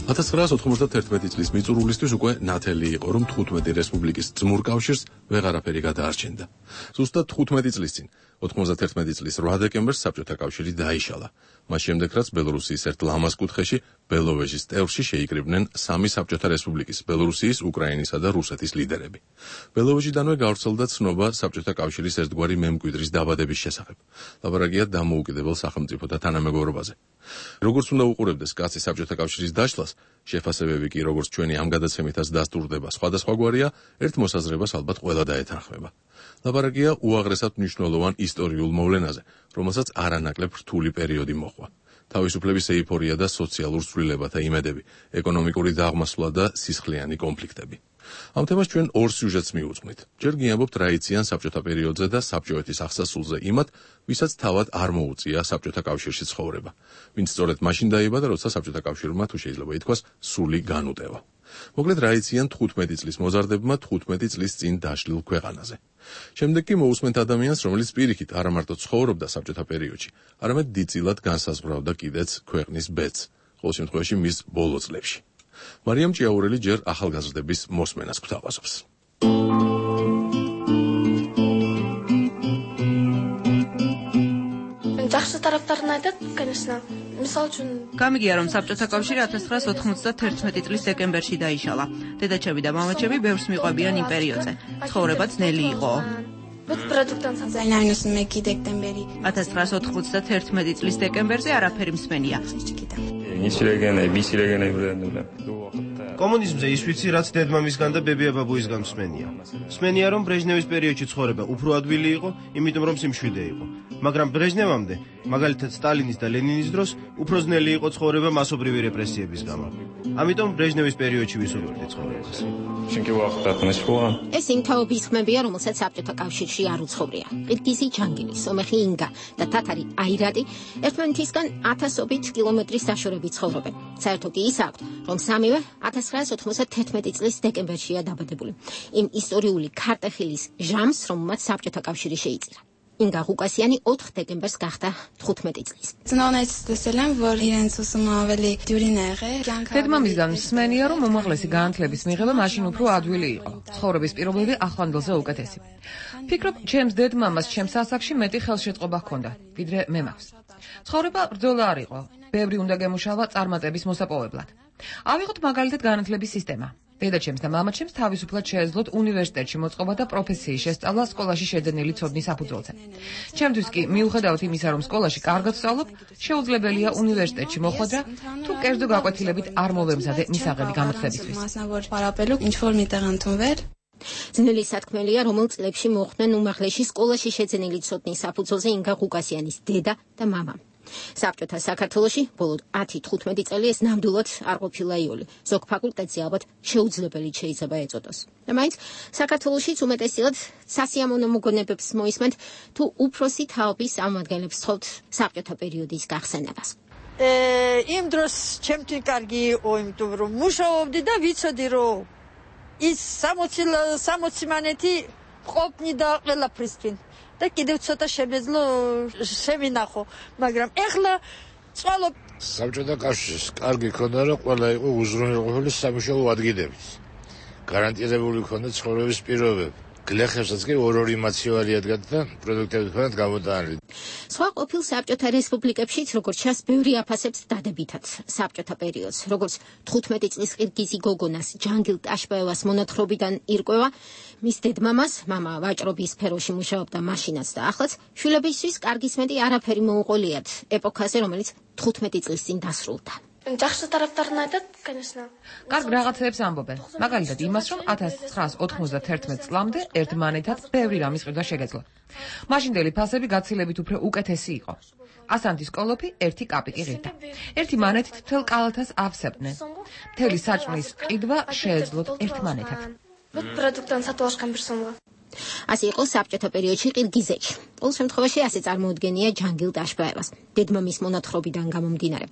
ათას ცხრაას ოთხმოცდათერთმეტი წლის მიწურულისთვის უკვე ნათელი იყო, რომ თხუთმეტი რესპუბლიკის ძმურ კავშირს ვეღარაფერი გადაარჩენდა. ზუსტად თხუთმეტი წლის წინ, ოთხმოცდათერთმეტი წლის რვა დეკემბერს საბჭოთა კავშირი დაიშალა. მას შემდეგ, რაც ბელორუსიის ერთ ლამაზ კუთხეში, ბელოვეჟის ტევრში შეიკრიბნენ სამი საბჭოთა რესპუბლიკის, ბელორუსიის, უკრაინისა და რუსეთის ლიდერები. ბელოვეჟიდანვე გავრცელდა ცნობა საბჭოთა კავშირის ერთგვარი მემკვიდრის დაბადების შესახებ. ლაპარაკია დამოუკიდებელ სახელმწიფოთა თანამეგობრობაზე. როგორც უნდა უყურებდეს კაცი საბჭოთა კავშირის დაშლას, შეფასებები კი როგორც ჩვენი ამ გადაცემითაც დასტურდება სხვადასხვაგვარია, ერთ მოსაზრებას ალბათ ყველა დაეთანხმება. ლაპარაკია უაღრესად მნიშვნელოვან ისტორიულ მოვლენაზე, რომელსაც არანაკლებ რთული პერიოდი მოჰყვა. თავისუფლების ეიფორია და სოციალურ ცვლილებათა იმედები, ეკონომიკური დაღმასვლა და სისხლიანი კონფლიქტები. ამ თემას ჩვენ ორ სიუჟეტს მიუძღვნით. ჯერ გიამბობთ რა იციან საბჭოთა პერიოდზე და საბჭოეთის აღსასრულზე იმათ, ვისაც თავად არ მოუწია საბჭოთა კავშირში ცხოვრება. ვინც სწორედ მაშინ დაიბადა, როცა საბჭოთა კავშირმა თუ შეიძლება ითქვას, სული განუტევა. მოკლედ რა იციან თხუთმეტი წლის მოზარდებმა თხუთმეტი წლის წინ დაშლილ ქვეყანაზე. შემდეგ კი მოусმენთ ადამიანს, რომელიც პირიქით არა მარტო ცხოვრობდა საბჭოთა პერიოდში, არამედ დიდწილად განსაზღვრავდა კიდეც ქვეყნის ბედს, ყოველ შემთხვევაში მის ბოლო წლებში. მარიამ ჭიაურელი ჯერ ახალგაზრდების მოსმენას გვთავაზობს. жақсы тараптарын айтады, конечно. Мысалы үшін გამიგია, რომ საბჭოთა კავშირი ათას ცხრაას ოთხმოცდათერთმეტი წლის დეკემბერში დაიშალა. დედაჩები და მამაჩები ბევრს მიყვებიან იმ პერიოდზე. ცხოვრება ძნელი იყო. ათას ცხრაას ოთხმოცდათერთმეტი წლის დეკემბერზე არაფერი მსმენია. კომუნიზმზე ის ვიცი, რაც დედმამისგან და ბებია-ბაბუისგან მსმენია. მსმენია, რომ ბრეჟნევის პერიოდში ცხოვრება უფრო ადვილი იყო, იმიტომ რომ სიმშვიდე იყო. მაგრამ ბრეჟნევამდე, მაგალითად სტალინის და ლენინის დროს, უფრო ძნელი იყო ცხოვრება მასობრივი რეპრესიების გამო. ამიტომ ბრეჟნევის პერიოდში ვისურვებდი ცხოვრებას. ეს იმ თაობის ხმებია, რომელსაც საბჭოთა კავშირში არ უცხოვრია. ყირგიზი ჯანგილი, სომეხი ინგა და თათარი აირატი ერთმანეთისგან ათასობით კილომეტრის დაშორებით ცხოვრობენ. საერთო კი ის აქვთ, რომ სამივე ათას ცხრაას ოთხმოცდათერთმეტი წლის დეკემბერშია დაბადებული. იმ ისტორიული ქარტეხილის ჟამს, რომელმაც საბჭოთა კავშირი შეიწირა. ინგა ღუკასიანი ოთხ დეკემბერს გახდა თხუთმეტი წლის. დედმამისგან მსმენია, რომ უმაღლესი განათლების მიღება მაშინ უფრო ადვილი იყო. ცხოვრების პირობები ახლანდელზე უკეთესი. ფიქრობ, ჩემს დედმამას ჩემს ასაკში მეტი ხელშეწყობა ჰქონდა, ვიდრე მე მაქვს. ცხოვრება ბრძოლა არ იყო. ბევრი უნდა გემუშავა წარმატების მოსაპოვებლად. ავიღოთ მაგალითად განათლების სისტემა. დედაჩემს და მამაჩემს თავისუფლად შეეძლოთ უნივერსიტეტში მოწყობა და პროფესიის შესწავლა სკოლაში შეძენილი ცოდნის საფუძველზე. ჩემთვის კი მიუხედავად იმისა, რომ სკოლაში კარგად ვსწავლობ, შეუძლებელია უნივერსიტეტში მოხვედრა, თუ კერძო გაკვეთილებით არ მოვემზადე მისაღები გამოცხლებისთვის. ძნელი სათქმელია, რომელ წლებში მოხვდნენ უმაღლესი სკოლაში შეძენილი ცოდნის საფუძველზე ინგა ღუკასიანის დედა და მამა. საბჭოთა საქართველოში ბოლო ათი თხუთმეტი წელი ეს ნამდვილად არ ყოფილა იოლი. ზოგ ფაკულტეტზე ალბათ შეუძლებელი შეიძლება ეწოდოს. და მაინც საქართველოშიც უმეტესად სასიამოვნო მოგონებებს მოისმენთ, თუ უფროსი თაობის წარმომადგენლებს თხოვთ საბჭოთა პერიოდის გახსენებას. იმ დროს ჩემთვის კარგი იყო, იმიტომ რომ მუშაობდი და ვიცოდი, რომ ის სამოცი მანეთი ყოფნი და ყველაფრისთვის. და კიდევ ცოტა შემეძლო შევინახო, მაგრამ ეხლა წვალობ საბჭოთა კავშირის კარგი ქონდა, რომ ყველა იყო უზრუნველყოფილი სამუშაო ადგილებით. გარანტირებული ქონდა ცხოვრების პირობები. გლეხებსაც კი ორ-ორი მაცივარი ადგათ და პროდუქტები ქონდათ გამოტანილი. სხვა ყოფილ საბჭოთა რესპუბლიკებშიც, როგორც ჩანს, ბევრი აფასებს დადებითად საბჭოთა პერიოდს, როგორც თხუთმეტი წლის ყირგიზი გოგონას ჯანგილ ტაშბაევას მონათხრობიდან ირკვევა, მის დედმამას, მამა ვაჭრობის სფეროში მუშაობდა მაშინაც და ახლაც, შვილებისთვის კარგის მეტი არაფერი მოუყოლიათ ეპოქაზე, რომელიც თხუთმეტი წლის წინ დასრულდა. жақсы тараптарын айтады, конечно. კარგ რაღაცებს ამბობენ. მაგალითად იმას, რომ ათას ცხრაას ოთხმოცდათერთმეტ წლამდე ერთმანეთად ბევრი რამის ყიდვა შეგეძლო. მაშინდელი ფასები გაცილებით უფრო უკეთესი იყო. ასანთის კოლოფი ერთი კაპიკი ღირდა. ერთი მანეთით მთელ კალათას ავსებდნენ. მთელი საჭმლის ყიდვა შეეძლოთ ერთმანეთად. პროდუქტთან სატუაშკან პერსონალა. ასე იყო საბჭოთა პერიოდში ყირგიზეთში. ყოველ შემთხვევაში ასე წარმოუდგენია ჯანგილ ტაშბაევას, დედმამის მონათხრობიდან გამომდინარე.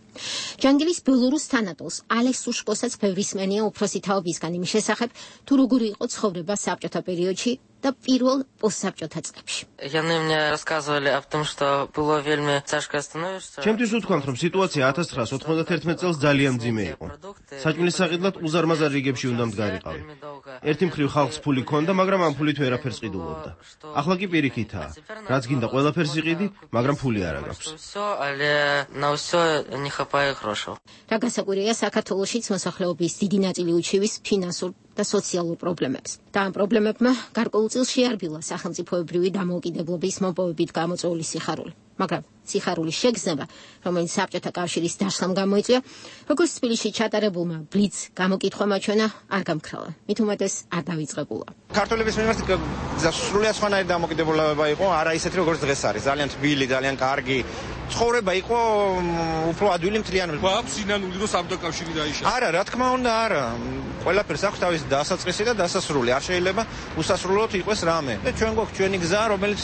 ჯანგილის ბელორუს თანატოლს ალექს უშკოსაც ბევრი სმენია უფროსი თაობისგან იმის შესახებ, თუ როგორი იყო ცხოვრება საბჭოთა პერიოდში და პირველ პოსტსაბჭოთა წლებში. Яны мне рассказывали о том, что было вельми тяжко становишься. ჩემთვის უთქვამთ, რომ სიტუაცია ათას ცხრაას ოთხმოცდათერთმეტ წელს ძალიან მძიმე იყო. საჭმლის საყიდლად უზარმაზარ რიგებში უნდა მდგარიყავი. ერთი მხრივ ხალხს ფული ჰქონდა, მაგრამ ამ ფულით ვერაფერს ყიდულობდა. ახლა კი პირიქითაა. რაც გინდა ყველაფერს იყიდი, მაგრამ ფული არ აქვს. რა გასაკვირია, საქართველოშიც მოსახლეობის დიდი ნაწილი უჩივის ფინანსურ და სოციალურ პრობლემებს. და ამ პრობლემებმა გარკვეულწილ შეარბილა სახელმწიფოებრივი დამოუკიდებლობის მოპოვებით გამოწვეული სიხარული. მაგრამ სიხარულის შეგრძნება, რომელიც საბჭოთა კავშირის დაშლამ გამოიწვია, როგორც თბილისში ჩატარებულმა ბლიც გამოკითხვა მაჩვენა, არ გამქრალა. მით უმეტეს არ დავიწყებულა. ქართველების მიმართ სრულიად სხვანაირი დამოკიდებულება იყო, არა ისეთი როგორც დღეს არის. ძალიან თბილი, ძალიან კარგი ცხოვრება იყო უფრო ადვილი მთლიანობით. გვაქვს სინანული რომ საბჭოთა კავშირი დაიშალა. არა, რა თქმა უნდა, არა. ყველაფერს აქვს თავისი დასაწყისი და დასასრული. არ შეიძლება უსასრულოდ იყოს რამე. და ჩვენ გვაქვს ჩვენი გზა, რომელიც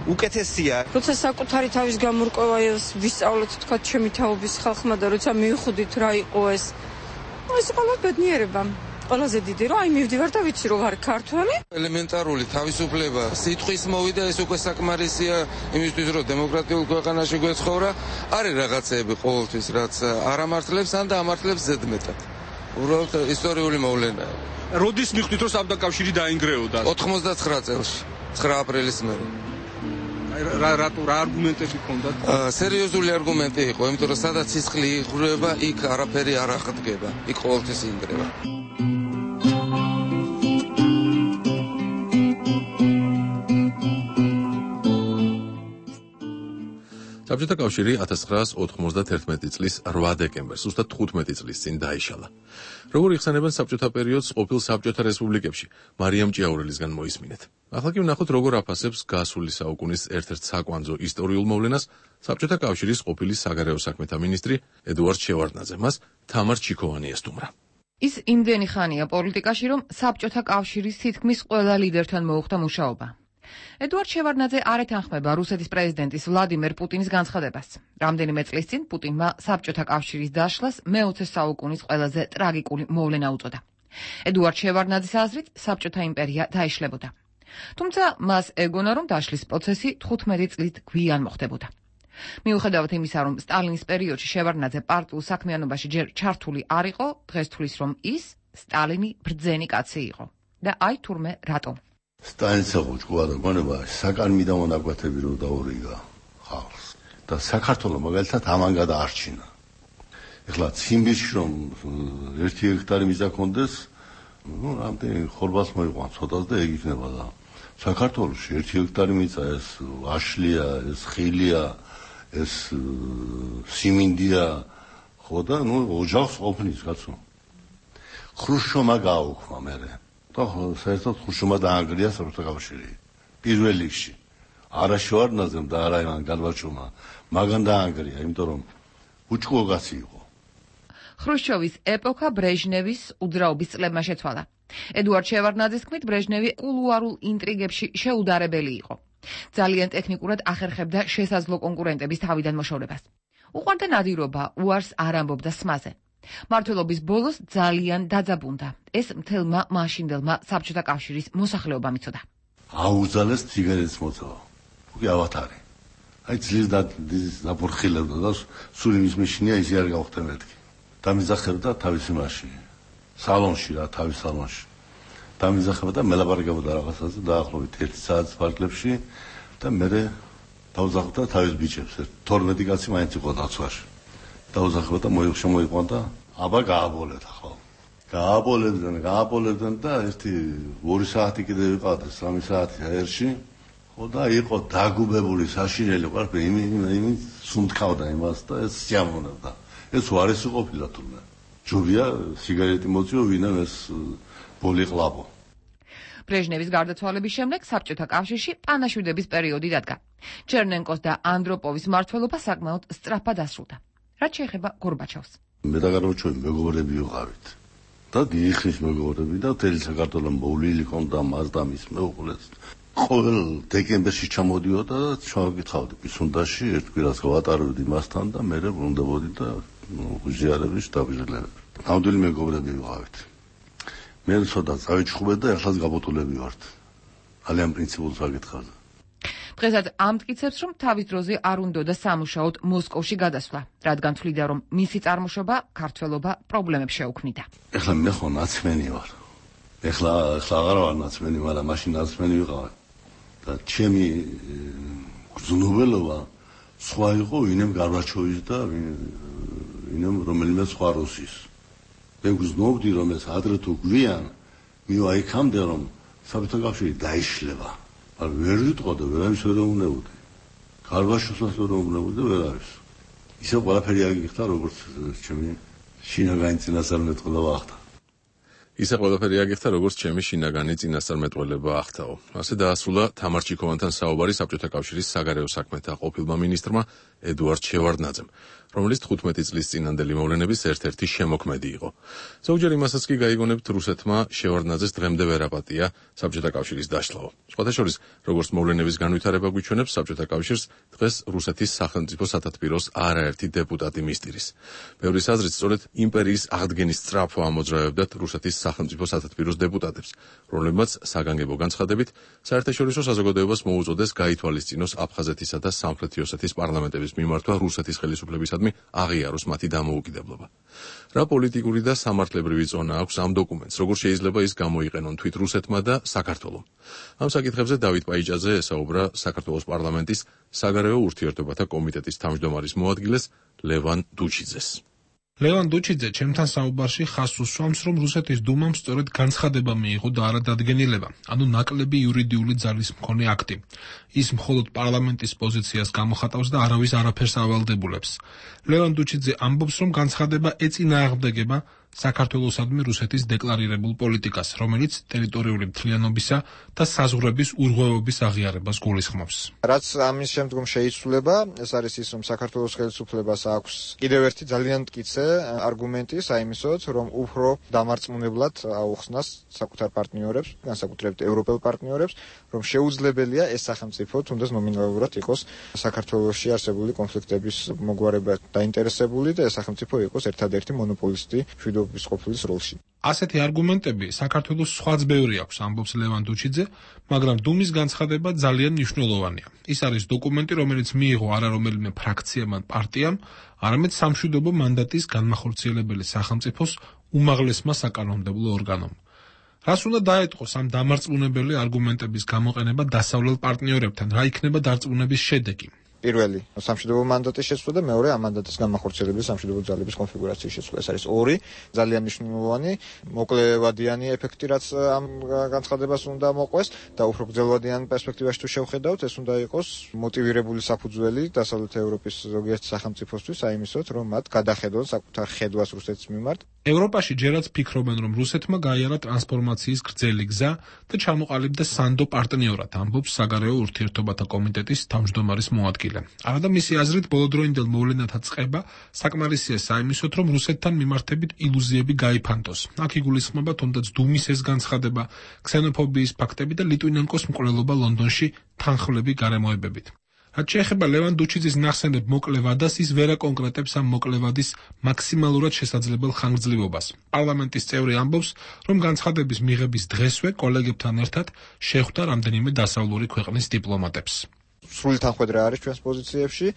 უკეთესია. როცა საკუთარი თავის გამორკვევა ვისწავლეთ თქვა ჩემი თაობის ხალხმა და როცა მივხვდით რა იყო ეს. ეს ყველა ბედნიერება. ყველაზე დიდი რომ აი მივდივარ და ვიცი რომ ვარ ქართველი. ელემენტარული თავისუფლება სიტყვის მოვიდა, ეს უკვე საკმარისია იმისთვის რომ დემოკრატიულ ქვეყანაში გვეცხოვრა. არის რაღაცეები ყოველთვის რაც არ ამართლებს ან და ამართლებს ზედმეტად. უბრალოდ ისტორიული მოვლენაა. როდის მიხვდით რომ საბჭოთა კავშირი დაინგრეოდა? ოთხმოცდათხრა წელს, ცხრა აპრილის მერე. რა რატო რა არგუმენტები ჰქონდათ? სერიოზული არგუმენტი იყო, იმიტომ რომ სადაც სისხლი იღრება, იქ არაფერი არ აღდგება, იქ ყოველთვის ინგრევა. საბჭოთა კავშირი ათას ცხრაას ოთხმოცდათერთმეტი წლის რვა დეკემბერს, ზუსტად თხუთმეტი წლის წინ დაიშალა. როგორ იხსენებენ საბჭოთა პერიოდს ყოფილ საბჭოთა რესპუბლიკებში, მარიამ ჭიაურელისგან მოისმინეთ. ახლა კი ვნახოთ, როგორ აფასებს გასული საუკუნის ერთ-ერთ საკვანძო ისტორიულ მოვლენას საბჭოთა კავშირის ყოფილი საგარეო საქმეთა მინისტრი ედუარდ შევარდნაძე. მას თამარ ჩიქოვანი ესტუმრა. ის იმდენი ხანია პოლიტიკაში, რომ საბჭოთა კავშირის თითქმის ყველა ლიდერთან მოუხდა მუშაობა. ედუარდ შევარდნაძე არ ეთანხმება რუსეთის პრეზიდენტის ვლადიმერ პუტინის განცხადებას. რამდენიმე წლის წინ პუტინმა საბჭოთა კავშირის დაშლას მეოცე საუკუნის ყველაზე ტრაგიკული მოვლენა უწოდა. ედუარდ შევარდნაძის აზრით, საბჭოთა იმპერია დაიშლებოდა. თუმცა მას ეგონა, რომ დაშლის პროცესი თხუთმეტი წლით გვიან მოხდებოდა. მიუხედავად იმისა, რომ სტალინის პერიოდში შევარდნაძე პარტიულ საქმიანობაში ჯერ ჩართული არ იყო, დღეს თვლის, რომ ის სტალინი ბრძენი კაცი იყო. და აი თურმე რატომ? სტალინის აღუჭყვა და გონება საკანმი და მონაკვეთები რო დაურიგა ხალხს და საქართველოს მაგალითად ამან გადაარჩინა. ეხლა ციმბირში რომ ერთი ჰექტარი მიწა ქონდეს, ну, რამდენი ხორბალს მოიყვან ცოტას და ეგ იქნება და საქართველოში ერთი ჰექტარი მიწა ეს აშლია, ეს ხილია, ეს სიმინდია, ხო და ну, ოჯახს ყოფნის კაცო. ხრუშჩოვმა გააუქმა მერე. და საერთოდ ხუშჩოვმა დაანგრია საბჭოთა კავშირი. პირველ რიგში. არა შევარდნაძემ და არა ივან გარბაჩოვმა, მაგან დაანგრია, იმიტომ რომ უჭკუო კაცი იყო. ხრუშჩოვის ეპოქა ბრეჟნევის უძრაობის წლებმა შეცვალა. ედუარდ შევარდნაძის თქმით, ბრეჟნევი კულუარულ ინტრიგებში შეუდარებელი იყო. ძალიან ტექნიკურად ახერხებდა შესაძლო კონკურენტების თავიდან მოშორებას. უყვარდა ნადირობა, უარს არ ამბობდა სმაზე. მმართველობის ბოლოს ძალიან დაძაბუნდა. ეს მთელმა მაშინდელმა საბჭოთა კავშირის მოსახლეობამ იცოდა. აუძალეს ციგარეტის მოწოვა. უკვე ავათარი. აი ძლიერს დაფურხილებდა და სულ იმის მეშინია ისე არ გავხდა მეთქი. დამიზახებდა თავის იმაში. სალონში რა, თავის სალონში. დამიზახებდა მელაპარაკებდა რაღაცაზე დაახლოებით ერთი საათის ფარგლებში და მე დავზახდა თავის ბიჭებს. თორმეტი კაცი მაინც იყო დაცვაში. დაუზახებდა მოიხშა მოიყვან და აბა გააბოლეთ ახლა. გააბოლებდნენ, გააბოლებდნენ და ერთი ორი საათი კიდე ვიყავდა, სამი საათი აერში. ხო და იყო დაგუბებული საშინელი ყველაფერი, იმი იმი სუნთქავდა იმას და ეს სიამოვნებდა. ეს უარესი ყოფილა თურმე. ჯობია სიგარეტი მოწიო, ვინმე ეს ბოლი ყლაპო. ბრეჟნევის გარდაცვალების შემდეგ საბჭოთა კავშირში პანაშვიდების პერიოდი დადგა. ჩერნენკოს და ანდროპოვის მმართველობა საკმაოდ სწრაფად დასრულდა. რაც შეეხება გორბაჩოვს. მე და გარბაჩოვი მეგობრები ვიყავით. და დიახის მეგობრები და თელი საქართველოს მოვლილი ქონდა მას და მის მეუღლეს. ყოველ დეკემბერში ჩამოდიოდა და ჩავკითხავდი პისუნდაში, ერთ კვირას გავატარებდი მასთან და მე ბრუნდებოდი და უზიარების დაბიჟლებები. ნამდვილი მეგობრები ვიყავით. მე ცოტა წავიჩხუბე და ახლაც გაბოტულები ვართ. ძალიან პრინციპულ საკითხებზე. დღესაც ამტკიცებს, რომ თავის დროზე არ უნდოდა სამუშაოდ მოსკოვში გადასვლა, რადგან თვლიდა, რომ მისი წარმოშობა, ქართველობა პრობლემებს შეუქმნიდა. ეხლა მე ხო ნაცმენი ვარ. ეხლა ეხლა აღარ ვარ ნაცმენი, მაგრამ მაშინ ნაცმენი ვიყავ. და ჩემი გზნობელობა სხვა იყო ვინმე გარბაჩოვის და ვინმე რომელიმე სხვა რუსის. მე გზნობდი, რომ ეს ადრე თუ გვიან მივა იქამდე, რომ საბჭოთა კავშირი დაიშლება. არ ვერ ვიტყოდა, ვერავის ვერ უნებოდი. ქარვაშოსაც რომ უგნებოდა ვერ არის. ისე ყველაფერი აგიხდა როგორც ჩემი შინაგანი წინასწარმეტყველება ახდა. ისე ყველაფერი აგიხდა როგორც ჩემი შინაგანი წინასწარმეტყველება ახთაო. ასე დაასრულა თამარ ჩიქოვანთან საუბარი საბჭოთა კავშირის საგარეო საქმეთა ყოფილმა მინისტრმა ედუარდ შევარდნაძემ, რომელიც თხუთმეტი წლის წინანდელი მოვლენების ერთ-ერთი შემოქმედი იყო. ზოგჯერ იმასაც კი გაიგონებთ რუსეთმა შევარდნაძეს დღემდე ვერ აპატია საბჭოთა კავშირის დაშლაო. სხვათა შორის, როგორც მოვლენების განვითარება გვიჩვენებს, საბჭოთა კავშირს დღეს რუსეთის სახელმწიფო სათათბიროს არაერთი დეპუტატი მისდირის. ბევრის აზრით, სწორედ იმპერიის აღდგენის სწრაფო ამოძრავებდათ რუსეთის სახელმწიფო სათათბიროს დეპუტატებს, რომლებმაც საგანგებო განცხადებით საერთაშორისო საზოგადოებას მოუწოდეს გაითვალისწინოს აფხაზეთისა და სამხრეთი ოსეთის პარლამენტების მიმართვა რუსეთის ხელისუფლებისადმი აღიაროს მათი დამოუკიდებლობა. რა პოლიტიკური და სამართლებრივი ზონა აქვს ამ დოკუმენტს, როგორ შეიძლება ის გამოიყენონ თვით რუსეთმა და საქართველომ? ამ საკითხებზე დავით პაიჭაძე ესაუბრა საქართველოს პარლამენტის საგარეო ურთიერთობათა კომიტეტის თავმჯდომარის მოადგილეს ლევან დუჩიძეს. ლევან დუჩიძე ჩემთან საუბარში ხაზს უსვამს, რომ რუსეთის დუმამ სწორედ განცხადება მიიღო და არა დადგენილება, ანუ ნაკლები იურიდიული ძალის მქონე აქტი. ის მხოლოდ პარლამენტის პოზიციას გამოხატავს და არავის არაფერს ავალდებულებს. ლევან დუჩიძე ამბობს, რომ განცხადება ეწინააღმდეგება საქართველოსადმი რუსეთის დეკლარირებულ პოლიტიკას, რომელიც ტერიტორიული მთლიანობისა და საზღვრების ურღვევების აღიარებას გულისხმობს. რაც ამის შემდგომ შეიცვლება, ეს არის ის, რომ საქართველოს ხელისუფლებას აქვს კიდევ ერთი ძალიან მტკიცე არგუმენტი საიმისოდ, რომ უფრო დამარწმუნებლად აუხსნას საკუთარ პარტნიორებს, განსაკუთრებით ევროპელ პარტნიორებს, რომ შეუძლებელია ეს სახელმწიფო თუნდაც ნომინალურად იყოს საქართველოში არსებული კონფლიქტების მოგვარებად დაინტერესებული და ეს სახელმწიფო იყოს ერთადერთი მონოპოლისტი მშვიდობის ყოფილის როლში. ასეთი არგუმენტები საქართველოს სხვაც ბევრი აქვს, ამბობს ლევან დუჩიძე, მაგრამ დუმის განცხადება ძალიან მნიშვნელოვანია. ის არის დოკუმენტი, რომელიც მიიღო არა რომელიმე ფრაქციამ ან პარტიამ, არამედ სამშვიდობო მანდატის განმახორციელებელი სახელმწიფოს უმაღლესმა საკანონმდებლო ორგანომ. რას უნდა დაეტყოს ამ დამარწმუნებელი არგუმენტების გამოყენება დასავლელ პარტნიორებთან, რა იქნება დარწმუნების შედეგი? პირველი სამშვიდობო მანდატის შეცვლა და მეორე ამ მანდატის განმახორციელებელი სამშვიდობო ძალების კონფიგურაციის შეცვლა. ეს არის ორი ძალიან მნიშვნელოვანი მოკლევადიანი ეფექტი, რაც ამ განცხადებას უნდა მოყვეს და უფრო გრძელვადიან პერსპექტივაში თუ შევხედავთ, ეს უნდა იყოს მოტივირებული საფუძველი დასავლეთ ევროპის ზოგიერთ სახელმწიფოსთვის, აიმისოთ, რომ მათ გადახედონ საკუთარ ხედვას რუსეთის მიმართ. ევროპაში ჯერაც ფიქრობენ, რომ რუსეთმა გაიარა ტრანსფორმაციის გრძელი გზა და ჩამოყალიბდა სანდო პარტნიორად, ამბობს საგარეო ურთიერთობათა კომიტეტის თავმჯდომარის მოადგილე. არადა მისი აზრით, ბოლოდროინდელ მოვლენათა წყება საკმარისია საიმისოდ, რომ რუსეთთან მიმართებით ილუზიები გაიფანტოს. აქ იგულისხმება თუნდაც დუმის ეს განცხადება, ქსენოფობიის ფაქტები და ლიტვინენკოს მკვლელობა ლონდონში თანხმლები გარემოებებით. რაც შეეხება ლევან დუჩიძის ნახსენებ მოკლე ვადას, ის ვერ აკონკრეტებს ამ მოკლე ვადის მაქსიმალურად შესაძლებელ ხანგრძლივობას. პარლამენტის წევრი ამბობს, რომ განცხადების მიღების დღესვე კოლეგებთან ერთად შეხვდა რამდენიმე დასავლური ქვეყნის დიპლომატებს. სრული თანხმედრა არის ჩვენს პოზიციებში,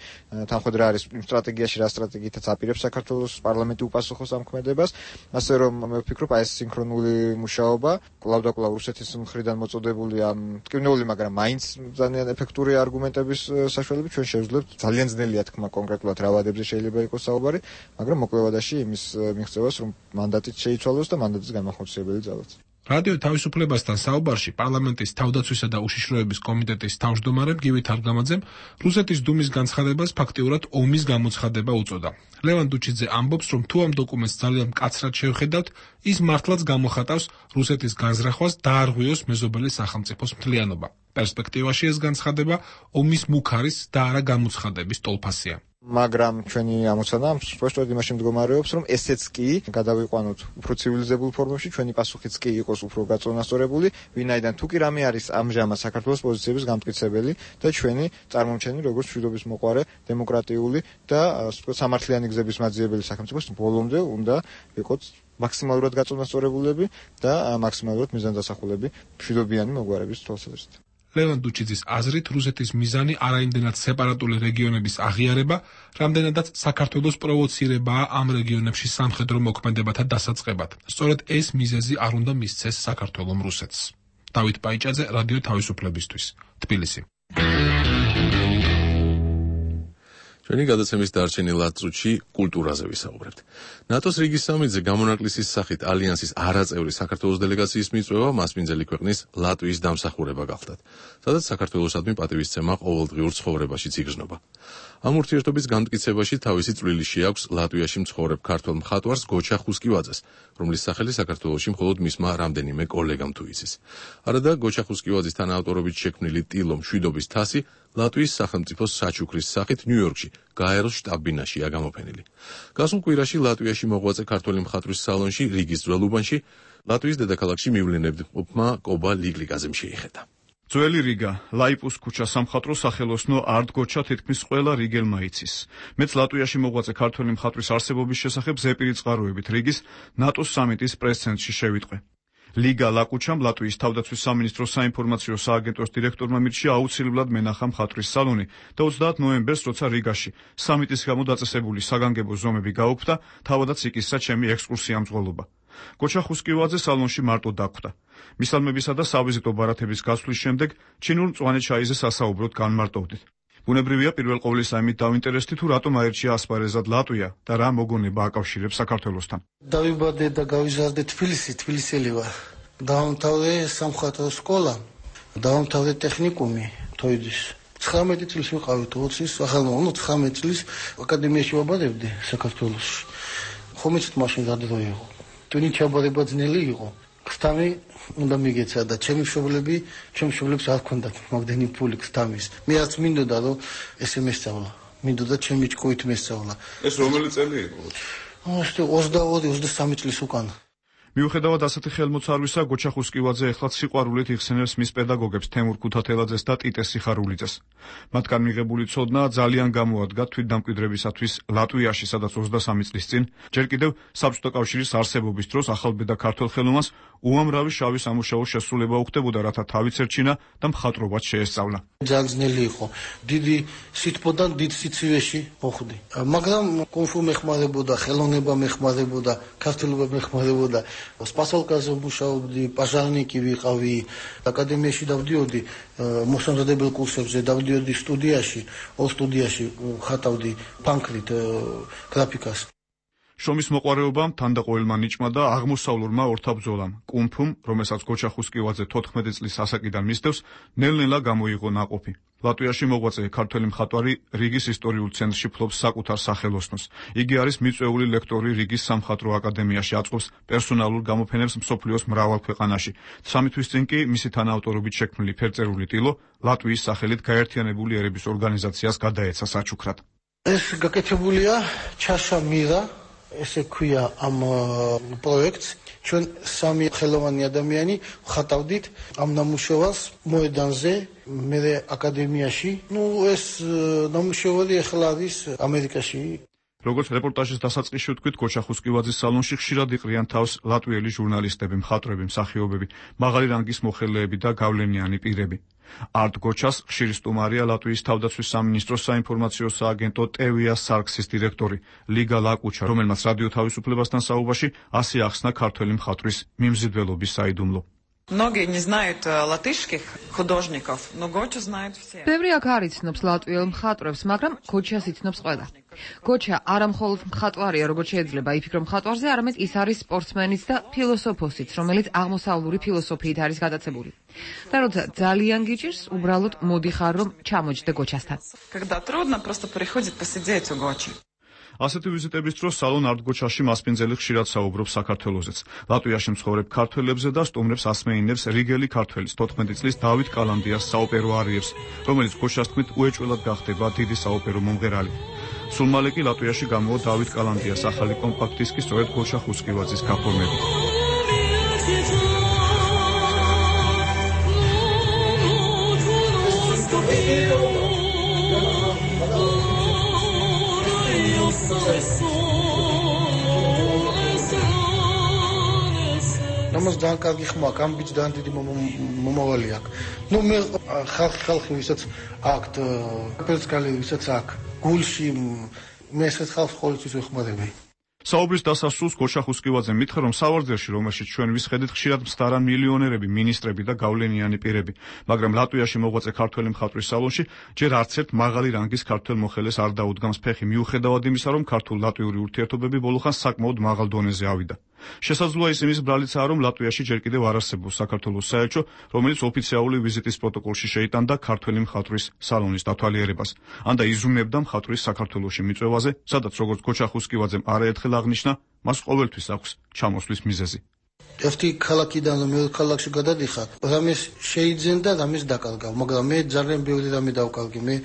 თანხმედრა არის იმ სტრატეგიაში, რა სტრატეგიითაც აპირებს საქართველოს პარლამენტი უპასუხოს ამ ქმედებას, ასე რომ მე ვფიქრობ, აი ეს სინქრონული მუშაობა, კვლავ და კვლავ რუსეთის მხრიდან მოწოდებული ამ ტკივნეული, მაგრამ მაინც ძალიან ეფექტური არგუმენტების საშუალებით ჩვენ შევძლებთ ძალიან ძნელია თქმა კონკრეტულად რა ვადებზე შეიძლება იყოს საუბარი, მაგრამ მოკლევადაში იმის მიღწევას, რომ მანდატით შეიცვალოს და მანდატის განმახორციელებელი ძალაც. რადიო თავისუფლებასთან საუბარში პარლამენტის თავდაცვისა და უშიშროების კომიტეტის თავმჯდომარემ გივი თარგამაძემ რუსეთის დუმის განცხადებას ფაქტიურად ომის გამოცხადება უწოდა. ლევან დუჩიძე ამბობს, რომ თუ ამ დოკუმენტს ძალიან მკაცრად შევხედავთ, ის მართლაც გამოხატავს რუსეთის განზრახვას დაარღვიოს მეზობელი სახელმწიფოს მთლიანობა. პერსპექტივაში ეს განცხადება ომის მუქარის და არა გამოცხადების ტოლფასია. მაგრამ ჩვენი ამოცანა სპეციალურად იმაში მდგომარეობს, რომ ესეც კი გადავიყვანოთ უფრო ცივილიზებულ ფორმებში, ჩვენი პასუხიც კი იყოს უფრო გაწონასწორებული, ვინაიდან თუ კი რამე არის ამჟამად საქართველოს პოზიციების გამტკიცებელი და ჩვენი წარმომჩენი როგორც მშვიდობის მოყვარე, დემოკრატიული და ასე ვთქვათ, სამართლიანი გზების მაძიებელი სახელმწიფოს ბოლომდე უნდა ვიყოთ მაქსიმალურად გაწონასწორებულები და მაქსიმალურად მიზანდასახულები მშვიდობიანი მოგვარების თვალსაზრისით. ლევან დუჩიძის აზრით, რუსეთის მიზანი არაიმდენად სეპარატული რეგიონების აღიარება, რამდენადაც საქართველოს პროვოცირებაა ამ რეგიონებში სამხედრო მოქმედებათა დასაწყებად. სწორედ ეს მიზეზი არ უნდა მისცეს საქართველომ რუსეთს. დავით პაიჭაძე, რადიო თავისუფლებისთვის, თბილისი. ჩვენი გადაცემის დარჩენილ ათ წუთში კულტურაზე ვისაუბრებთ. ნატოს რიგის სამედზე გამონაკლისის სახით ალიანსის არაწევრი საქართველოს დელეგაციის მიწვევა მასპინძელი ქვეყნის ლატვიის დამსახურება გახდათ, სადაც საქართველოსადმი პატივისცემა ყოველდღიურ ცხოვრებაშიც იგრძნობა. ამ ურთიერთობის განმტკიცებაში თავისი წვლილი შეაქვს ლატვიაში მცხოვრებ ქართველ მხატვარს გოჩა ხუსკივაძეს, რომლის სახელი საქართველოში მხოლოდ მისმა რამდენიმე კოლეგამ თუ იცის. არადა გოჩა ხუსკივაძის თანაავტორობით შექმნილი ტილო მშვიდობის თასი ლატვიის სახელმწიფოს საჩუქრის სახით ნიუ-იორკში, გაეროს შტაბ-ბინაშია გამოფენილი. გასულ კვირაში ლატვიაში მოღვაწე ქართველი მხატვრის სალონში, რიგის ძველ უბანში, ლატვიის დედაქალაქში მივლინებმა კობა ლიკლიკაზემ შეიხედა. ძველი რიგა, ლაიპუს ქუჩა სამხატვრო სახელოსნო არტ გოჩა თითქმის ყველა რიგელმა იცის. მეც ლატვიაში მოღვაწე ქართველი მხატვრის არსებობის შესახებ ზეპირი წყაროებით რიგის ნატოს სამიტის პრეს-ცენტრში შევიტყვე. ლიგა ლაკუჩამ ლატვიის თავდაცვის სამინისტროს საინფორმაციო სააგენტოს დირექტორმა მირჩია აუცილებლად მენახა მხატვრის სალონი და ოცდაათ ნოემბერს, როცა რიგაში სამიტის გამო დაწესებული საგანგებო ზომები გაუქმდა, თავადაც იკისრა ჩემი ექსკურსია მძღოლობა. გოჩა ხუსკივაძე სალონში მარტო დაგვხვდა. მისალმებისა და სავიზიტო ბარათების გასვლის შემდეგ ჩინურ მწვანე ჩაიზე სასაუბროდ განმარტოვდით. ბუნებრივია პირველ ყოვლისა იმით დავინტერესდი თუ რატომ აირჩია ასპარეზად ლატვია და რა მოგონება აკავშირებს საქართველოსთან. დავიბადე და გავიზარდე თბილისში, თბილისელი ვარ. დავამთავრე სამხატვრო სკოლა, დავამთავრე ტექნიკუმი თოიძის. ცხრამეტი წლის ვიყავი თოიძის, ახლა ნუ ცხრამეტი წლის აკადემიაში ვაბარებდი საქართველოში. ხომ იცით მაშინ რა დრო იყო? ტვინი ჩაბარება ძნელი იყო. ხთამი უნდა მიგეცა და ჩემი მშობლები, ჩემი მშობლებს არ ჰქონდათ მაგდენი ფული ხთამის. მე არც მინდოდა რომ ესე მესწავლა. მინდოდა ჩემი ჭკუით მესწავლა. ეს რომელი წელი იყო? ოცდაორი ოცდასამი წლის უკან. მიუხედავად ასეთი ხელმოცარვისა, გოჩა ხუსკივაძე ეხლა სიყვარულით იხსენებს მის პედაგოგებს თემურ ქუთათელაძეს და ტიტე სიხარულიძეს. მათგან მიღებული ცოდნა ძალიან გამოადგა თვითდამკვიდრებისათვის ლატვიაში, სადაც ოცდასამი წლის წინ, ჯერ კიდევ საბჭოთა კავშირის არსებობის დროს ახალბედა ქართველ ხელოვნებას უამრავი შავი სამუშაო შესრულება უხდებოდა, რათა თავიც ერჩინა და მხატვრობაც შეესწავლა. ძალიან ძნელი იყო. დიდი სითბოდან დიდ სიცივეში მოხვდი. მაგრამ კონფუ მეხმარებოდა, ხელოვნება მეხმარებოდა, ქართულობა მეხმარებოდა. სპასალკაზე მუშაობდი, პაჟარნიკი ვიყავი, აკადემიაში დავდიოდი, მოსამზადებელ კურსებზე დავდიოდი სტუდიაში, ორ სტუდიაში ხატავდი პანკრით გრაფიკას. შრომის მოყვარეობამ, თანდაყოლილმა ნიჭმა და აღმოსავლურმა ორთაბრძოლამ, კუნფუმ, რომელსაც გოჩა ხუსკივაძე თოთხმეტი წლის ასაკიდან მისდევს, ნელ-ნელა გამოიღო ნაყოფი. ლატვიაში მოღვაწე ქართველი მხატვარი რიგის ისტორიულ ცენტრში ფლობს საკუთარ სახელოსნოს. იგი არის მიწვეული ლექტორი რიგის სამხატვრო აკადემიაში, აწყობს პერსონალურ გამოფენებს მსოფლიოს მრავალ ქვეყანაში. სამი თვის წინ კი მისი თანაავტორობით შექმნილი ფერწერული ტილო ლატვიის სახელით გაერთიანებული ერების ორგანიზაციას გადაეცა საჩუქრად. ეს გაკეთებულია ჩაშა მირა, ესე ქვია ამ პროექტს. ჩვენ სამი ხელოვანი ადამიანი ვხატავდით ამ ნამუშევარს მოედანზე, მე აკადემიაში. ნუ ეს ნამუშევარი ახლა არის ამერიკაში. როგორც რეპორტაჟის დასაწყისში ვთქვით, გოჩა ხუსკივაძის სალონში ხშირად იყრიან თავს ლატვიელი ჟურნალისტები, მხატვრები, მსახიობები, მაღალი რანგის მოხელეები და გავლენიანი პირები. არტ გოჩას ხშირი სტუმარია ლატვიის თავდაცვის სამინისტროს საინფორმაციო სააგენტო ტევია სარქსის დირექტორი ლიგა ლაკუჩა, რომელმაც რადიო თავისუფლებასთან საუბარში ასე ახსნა ქართველი მხატვრის მიმზიდველობის საიდუმლო. Многие не знают латышских художников, но Гоча знают все. ბევრი აქ არ იცნობს ლატვიელ მხატვრებს, მაგრამ გოჩას იცნობს ყველა. გოჩა არა მხოლოდ მხატვარია, როგორც შეიძლება იფიქრო მხატვარზე, არამედ ის არის სპორტსმენიც და ფილოსოფოსიც, რომელიც აღმოსავლური ფილოსოფიით არის გადაცებული. და როცა ძალიან გიჭირს, უბრალოდ მოდიხარ, რომ ჩამოჯდე გოჩასთან. Когда трудно, просто приходит посидеть у Гочи. ასეთი ვიზიტების დროს სალონ არტ გოჩაში მასპინძელი ხშირად საუბრობს საქართველოსზეც. ლატვიაში მცხოვრებ ქართველებზე და სტუმრებს ასმეინებს რიგელი ქართველის თოთხმეტი წლის დავით კალანდიას საოპერო არიებს, რომელიც გოჩას თქმით უეჭველად გახდება დიდი საოპერო მომღერალი. სულ მალე კი ლატვიაში გამოვა დავით კალანდიას ახალი კომპაქტ დისკი სწორედ გოჩა ხუსკივაძის გაფორმებით. ამას ძალიან კარგი ხმა აქვს, ამ ბიჭს ძალიან დიდი მომავალი აქვს. ნუ მე ხალხი ხალხი ვისაც აქვს, პერსკალი ვისაც აქვს, გულში მე ეს ხალხს ყოველთვის ვეხმარები. საუბრის დასასრულს გოჩა ხუსკივაძემ მითხრა, რომ სავარძელში, რომელშიც ჩვენ ვისხედით, ხშირად მსდარან მილიონერები, მინისტრები და გავლენიანი პირები, მაგრამ ლატვიაში მოღვაწე ქართველი მხატვრის სალონში ჯერ არც ერთ მაღალი რანგის ქართველ მოხელეს არ დაუდგამს ფეხი, მიუხედავად იმისა, რომ ქართულ-ლატვიური ურთიერთობები ბოლოხანს საკმაოდ მაღალ დონეზე ავიდა. შესაძლოა ის იმის ბრალიცაა, რომ ლატვიაში ჯერ კიდევ არ არსებობს საქართველოს საელჩო, რომელიც ოფიციალური ვიზიტის პროტოკოლში შეიტანდა ქართველი მხატვრის სალონის დათვალიერებას. ან და იზრუნებდა მხატვრის საქართველოში მიწვევაზე, სადაც როგორც გოჩა ხუსკივაძემ არაერთხელ აღნიშნა, მას ყოველთვის აქვს ჩამოსვლის მიზეზი. ერთი ქალაქიდან მეორე ქალაქში გადადიხარ, რამეს შეიძენდა, რამეს დაკარგავ, მაგრამ მე ძალიან ბევრი რამე დავკარგი. მე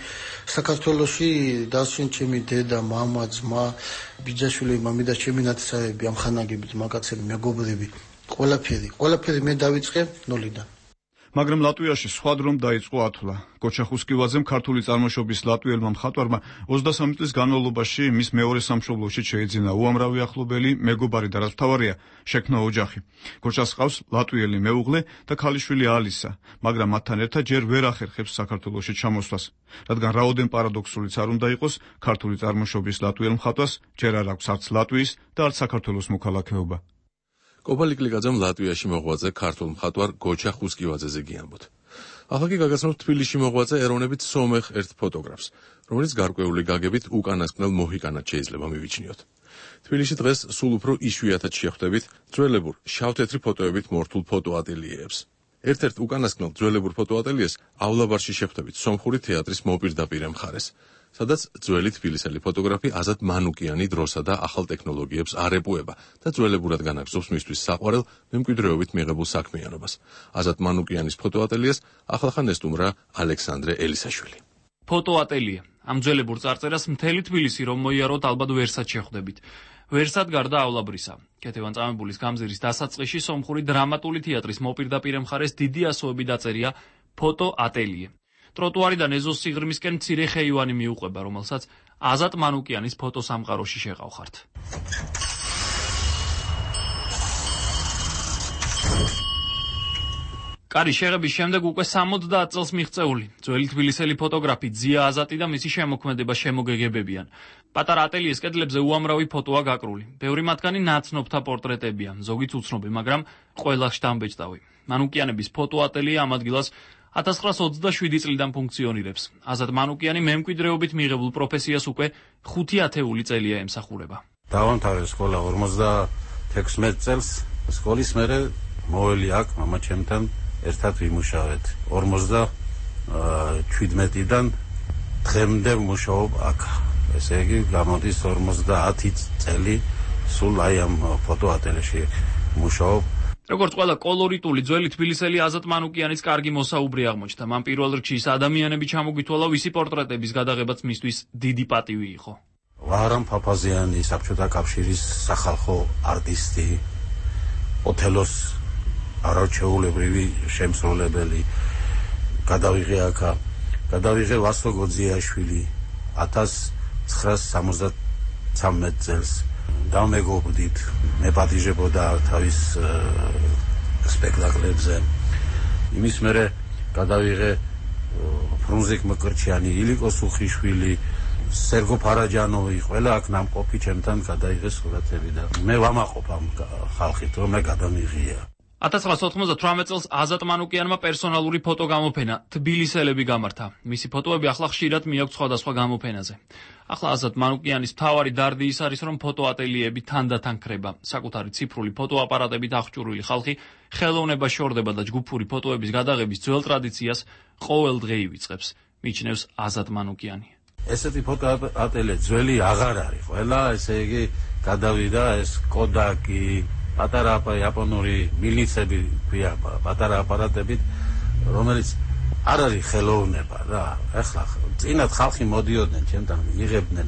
საქართველოში დასვენ ჩემი დედა, მამა, ძმა, ბიძაშვილი, მამიდა, ჩემი ნათესავები, ამხანაგებით, მაგაცები, მეგობრები, ყველაფერი, ყველაფერი მე დავიწყე ნოლიდან. მაგრამ ლატვიაში სხვა დრომ დაიწყო ათვლა. გოჩა ხუსკივაძემ ქართული წარმოშობის ლატვიელმა მხატვარმა ოცდასამი წლის განმავლობაში მის მეორე სამშობლოში შეიძინა უამრავი ახლობელი, მეგობარი და რაც მთავარია, შექმნა ოჯახი. გოჩას ჰყავს ლატვიელი მეუღლე და ქალიშვილი ალისა, მაგრამ მათთან ერთად ჯერ ვერ ახერხებს საქართველოში ჩამოსვლას, რადგან რაოდენ პარადოქსულიც არ უნდა იყოს, ქართული წარმოშობის ლატვიელ მხატვარს ჯერ არ აქვს არც ლატვიის და არც საქართველოს მოქალაქეობა. კოპალი კლიკაძემ ლატვიაში მოღვაწე ქართულ მხატვარ გოჩა ხუსკივაძეზე გიამბოთ. ახლა კი გაგაცნობთ თბილისში მოღვაწე ეროვნებით სომეხ ერთ ფოტოგრაფს, რომელიც გარკვეული გაგებით უკანასკნელ მოჰიკანად შეიძლება მივიჩნიოთ. თბილისში დღეს სულ უფრო იშვიათად შეხვდებით ძველებურ შავ-თეთრი ფოტოებით მორთულ ფოტოატელიეებს. ერთ-ერთ უკანასკნელ ძველებურ ფოტოატელიეს ავლაბარში შეხვდებით სომხური თეატრის მოპირდაპირე მხარეს, სადაც ძველი თბილისელი ფოტოგრაფი აზატ მანუკიანი დროსა და ახალ ტექნოლოგიებს არ ეპუება და ძველებურად განაგზობს მისთვის საყვარელ მემკვიდრეობით მიღებულ საქმიანობას. აზატ მანუკიანის ფოტოატელიეს ახლახან ესტუმრა ალექსანდრე ელისაშვილი. ფოტოატელია. ამ ძველებურ წარწერას მთელი თბილისი რომ მოიაროთ, ალბათ ვერსად შეხვდებით. ვერსად გარდა ავლაბრისა. კეთევან წამებულის გამზირის დასაწყისში სომხური დრამატული თეატრის მოპირდაპირე მხარეს დიდი ასოები დაწერია ფოტოატელიე. ტროტუარიდან ეზოს სიღრმისკენ მცირე ხეივანი მიუყვება, რომელსაც აზატ მანუკიანის ფოტოსამყაროში შეყავხართ. კარი შეღების შემდეგ უკვე სამოცდაათ წელს მიღწეული ძველი თბილისელი ფოტოგრაფი ძია აზატი და მისი შემოქმედება შემოგეგებებიან. პატარა ატელიეს კედლებზე უამრავი ფოტოა გაკრული. ბევრი მათგანი ნაცნობთა პორტრეტებია, ზოგიც უცნობი, მაგრამ ყველა შთამბეჭდავი. მანუკიანების ფოტოატელიე ამ ადგილას ათას ცხრაასი ოცდაშვიდი წლიდან ფუნქციონირებს. აზატ მანუკიანი მემკვიდრეობით მიღებულ პროფესიას უკვე ხუთი ათეული წელია ემსახურება. დავამთავრე სკოლა ორმოცდათექვსმეტ წელს, სკოლის მერე მოველი აქ მამა ჩემთან ერთად ვიმუშავეთ. ორმოცდაჩვიდმეტიდან დღემდე ვმუშაობ აქ. ესე იგი გამოდის ორმოცდაათი წელი სულ აი ამ ფოტოატელიეში ვმუშაობ. როგორც ყველა კოლორიტული ძველი თბილისელი აზატ მანუკიანის კარგი მოსაუბრი აღმოჩნდა. მან პირველ რიგში ის ადამიანები ჩამოგვითვალა, ვისი პორტრეტების გადაღებაც მისთვის დიდი პატივი იყო. ვაჰრამ ფაფაზიანი, საბჭოთა კავშირის სახალხო არტისტი, ოთელოს არაჩვეულებრივი შემსრულებელი. გადავიღე აქა, გადავიღე ვასლო გოძიაშვილი ათას ცხრაასი სამოცდათვრამეტ წელს. დამეგობრდით, მეპატიჟებოდა თავის სპექტაკლებზე. იმის მერე გადავიღე ფრუნზიკ მკრჩიანი, ილიკო სუხიშვილი, სერგო ფარაჯანოვი, ყველა აქ ნამყოფი ჩემთან გადაიღეს სურათები და მე ვამაყობ ამ ხალხით, რომ მე გადამიღია. ათას ცხრაასი ოთხმოცდათვრამეტ წელს აზატ მანუკიანმა პერსონალური ფოტო გამოფენა თბილისელები გამართა. მისი ფოტოები ახლა ხშირად მიაქვს სხვადასხვა გამოფენაზე. ახლა აზატ მანუკიანის მთავარი დარდი ის არის, რომ ფოტოატელიეები თანდათან ქრება. საკუთარი ციფრული ფოტოაპარატებით აღჭურვილი ხალხი ხელოვნებას შორდება და ჯგუფური ფოტოების გადაღების ძველ ტრადიციას ყოველ დღე ივიწყებს, მიჩნევს აზატ მანუკიანი. ესეთი ფოტოატელიე ძველი აღარ არის. ყველა ესე იგი გადავიდა ეს კოდაკი პატარა იაპონური მილიცები ქვია, პატარა აპარატებით, რომელიც არ არის ხელოვნება რა. ეხლა წინათ ხალხი მოდიოდნენ ჩემთან, იღებდნენ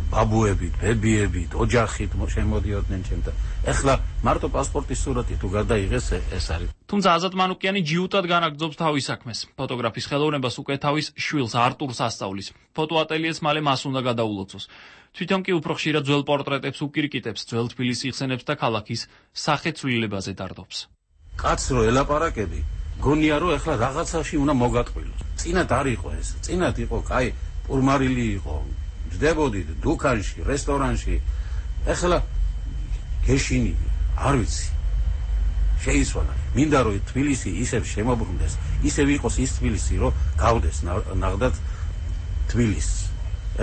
ბაბუებით, ბებიებით, ოჯახით შემოდიოდნენ ჩემთან. ეხლა მარტო პასპორტის სურათი თუ გადაიღეს, ეს არის. თუმცა აზატ მანუკიანი ჯიუტად განაგრძობს თავის საქმეს. ფოტოგრაფის ხელოვნებას უკვე თავის შვილს არტურს ასწავლის. ფოტოატელიეს მალე მას უნდა გადაულოცოს. თვითონ კი უფრო ხშირად ძველ პორტრეტებს უკირიკიტებს, ძველ თბილისს იხსენებს და ქალაქის სახეცვლილებაზე დარდობს. კაც რო ელაპარაკები, გონია რომ ეხლა რაღაცაში უნდა მოგატყვილოს. წინათ არ იყო ეს. წინათ იყო, კაი, პურმარილი იყო. ჯდებოდით დუქანში, რესტორანში, ეხლა გეშინი არ ვიცი შეიცვალა მინდა რომ თბილისი ისევ შემოbrunდეს ისევ იყოს ის თბილისი რომ გავდეს ნახდათ თბილისს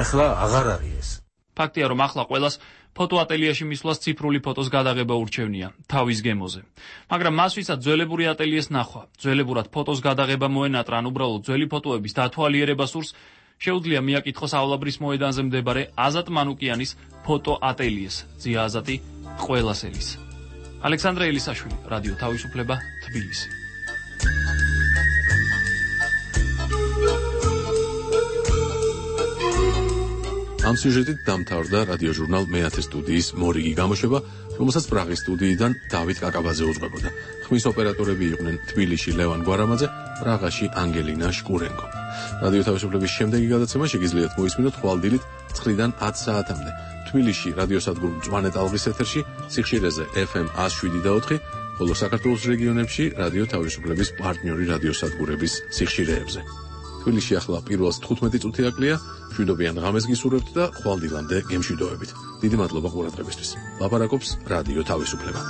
ეხლა აღარ არის ეს ფაქტია რომ ახლა ყველას ფოტოატელიაში მისვლას ციფრული ფოტოს გადაღება ურჩევნია თავის გემოზე მაგრამ მას ვისაც ძველებური ატელიეს ნახვა ძველებურად ფოტოს გადაღება მოენატრა ან უბრალოდ ძველი ფოტოების დათვალიერება სურს შეუძლია მიაკითხოსავლაბრის მოედანზე მდებარე აზატ მანუკიანის ფოტოატელიეს ძია აზატი ყველას ელის ალექსანდრე ელისაშვილი რადიო თავისუფლება თბილისი ამ სიუჟეტით დამთავრდა რადიო ჟურნალ მეათე სტუდიის მორიგი გამოშვება, რომელსაც პრაღის სტუდიიდან დავით კაკაბაძე უძღვებოდა. ხმის ოპერატორები იყვნენ თბილისში ლევან გვარამაძე, პრაღაში ანგელინა შკურენკო. რადიო თავისუფლების შემდეგი გადაცემა შეგიძლიათ მოისმინოთ ხვალდილით ცხრიდან ათ საათამდე. თბილისში რადიოსადგურ მწვანე ტალღის ეთერში, სიხშირეზე ეფემ ათს შვიდი და ოთხი, ხოლო საქართველოს რეგიონებში რადიო თავისუფლების პარტნიორი რადიოსადგურების სიხშირეებზე. თბილისში ახლა პირველს თხუთმეტი წუთი აკლია, მშვიდობიან ღამეს გისურვებთ და ხვალდილამდე გემშვიდობებით. დიდი მადლობა ყურადღებისთვის. ლაპარაკობს რადიო თავისუფლება.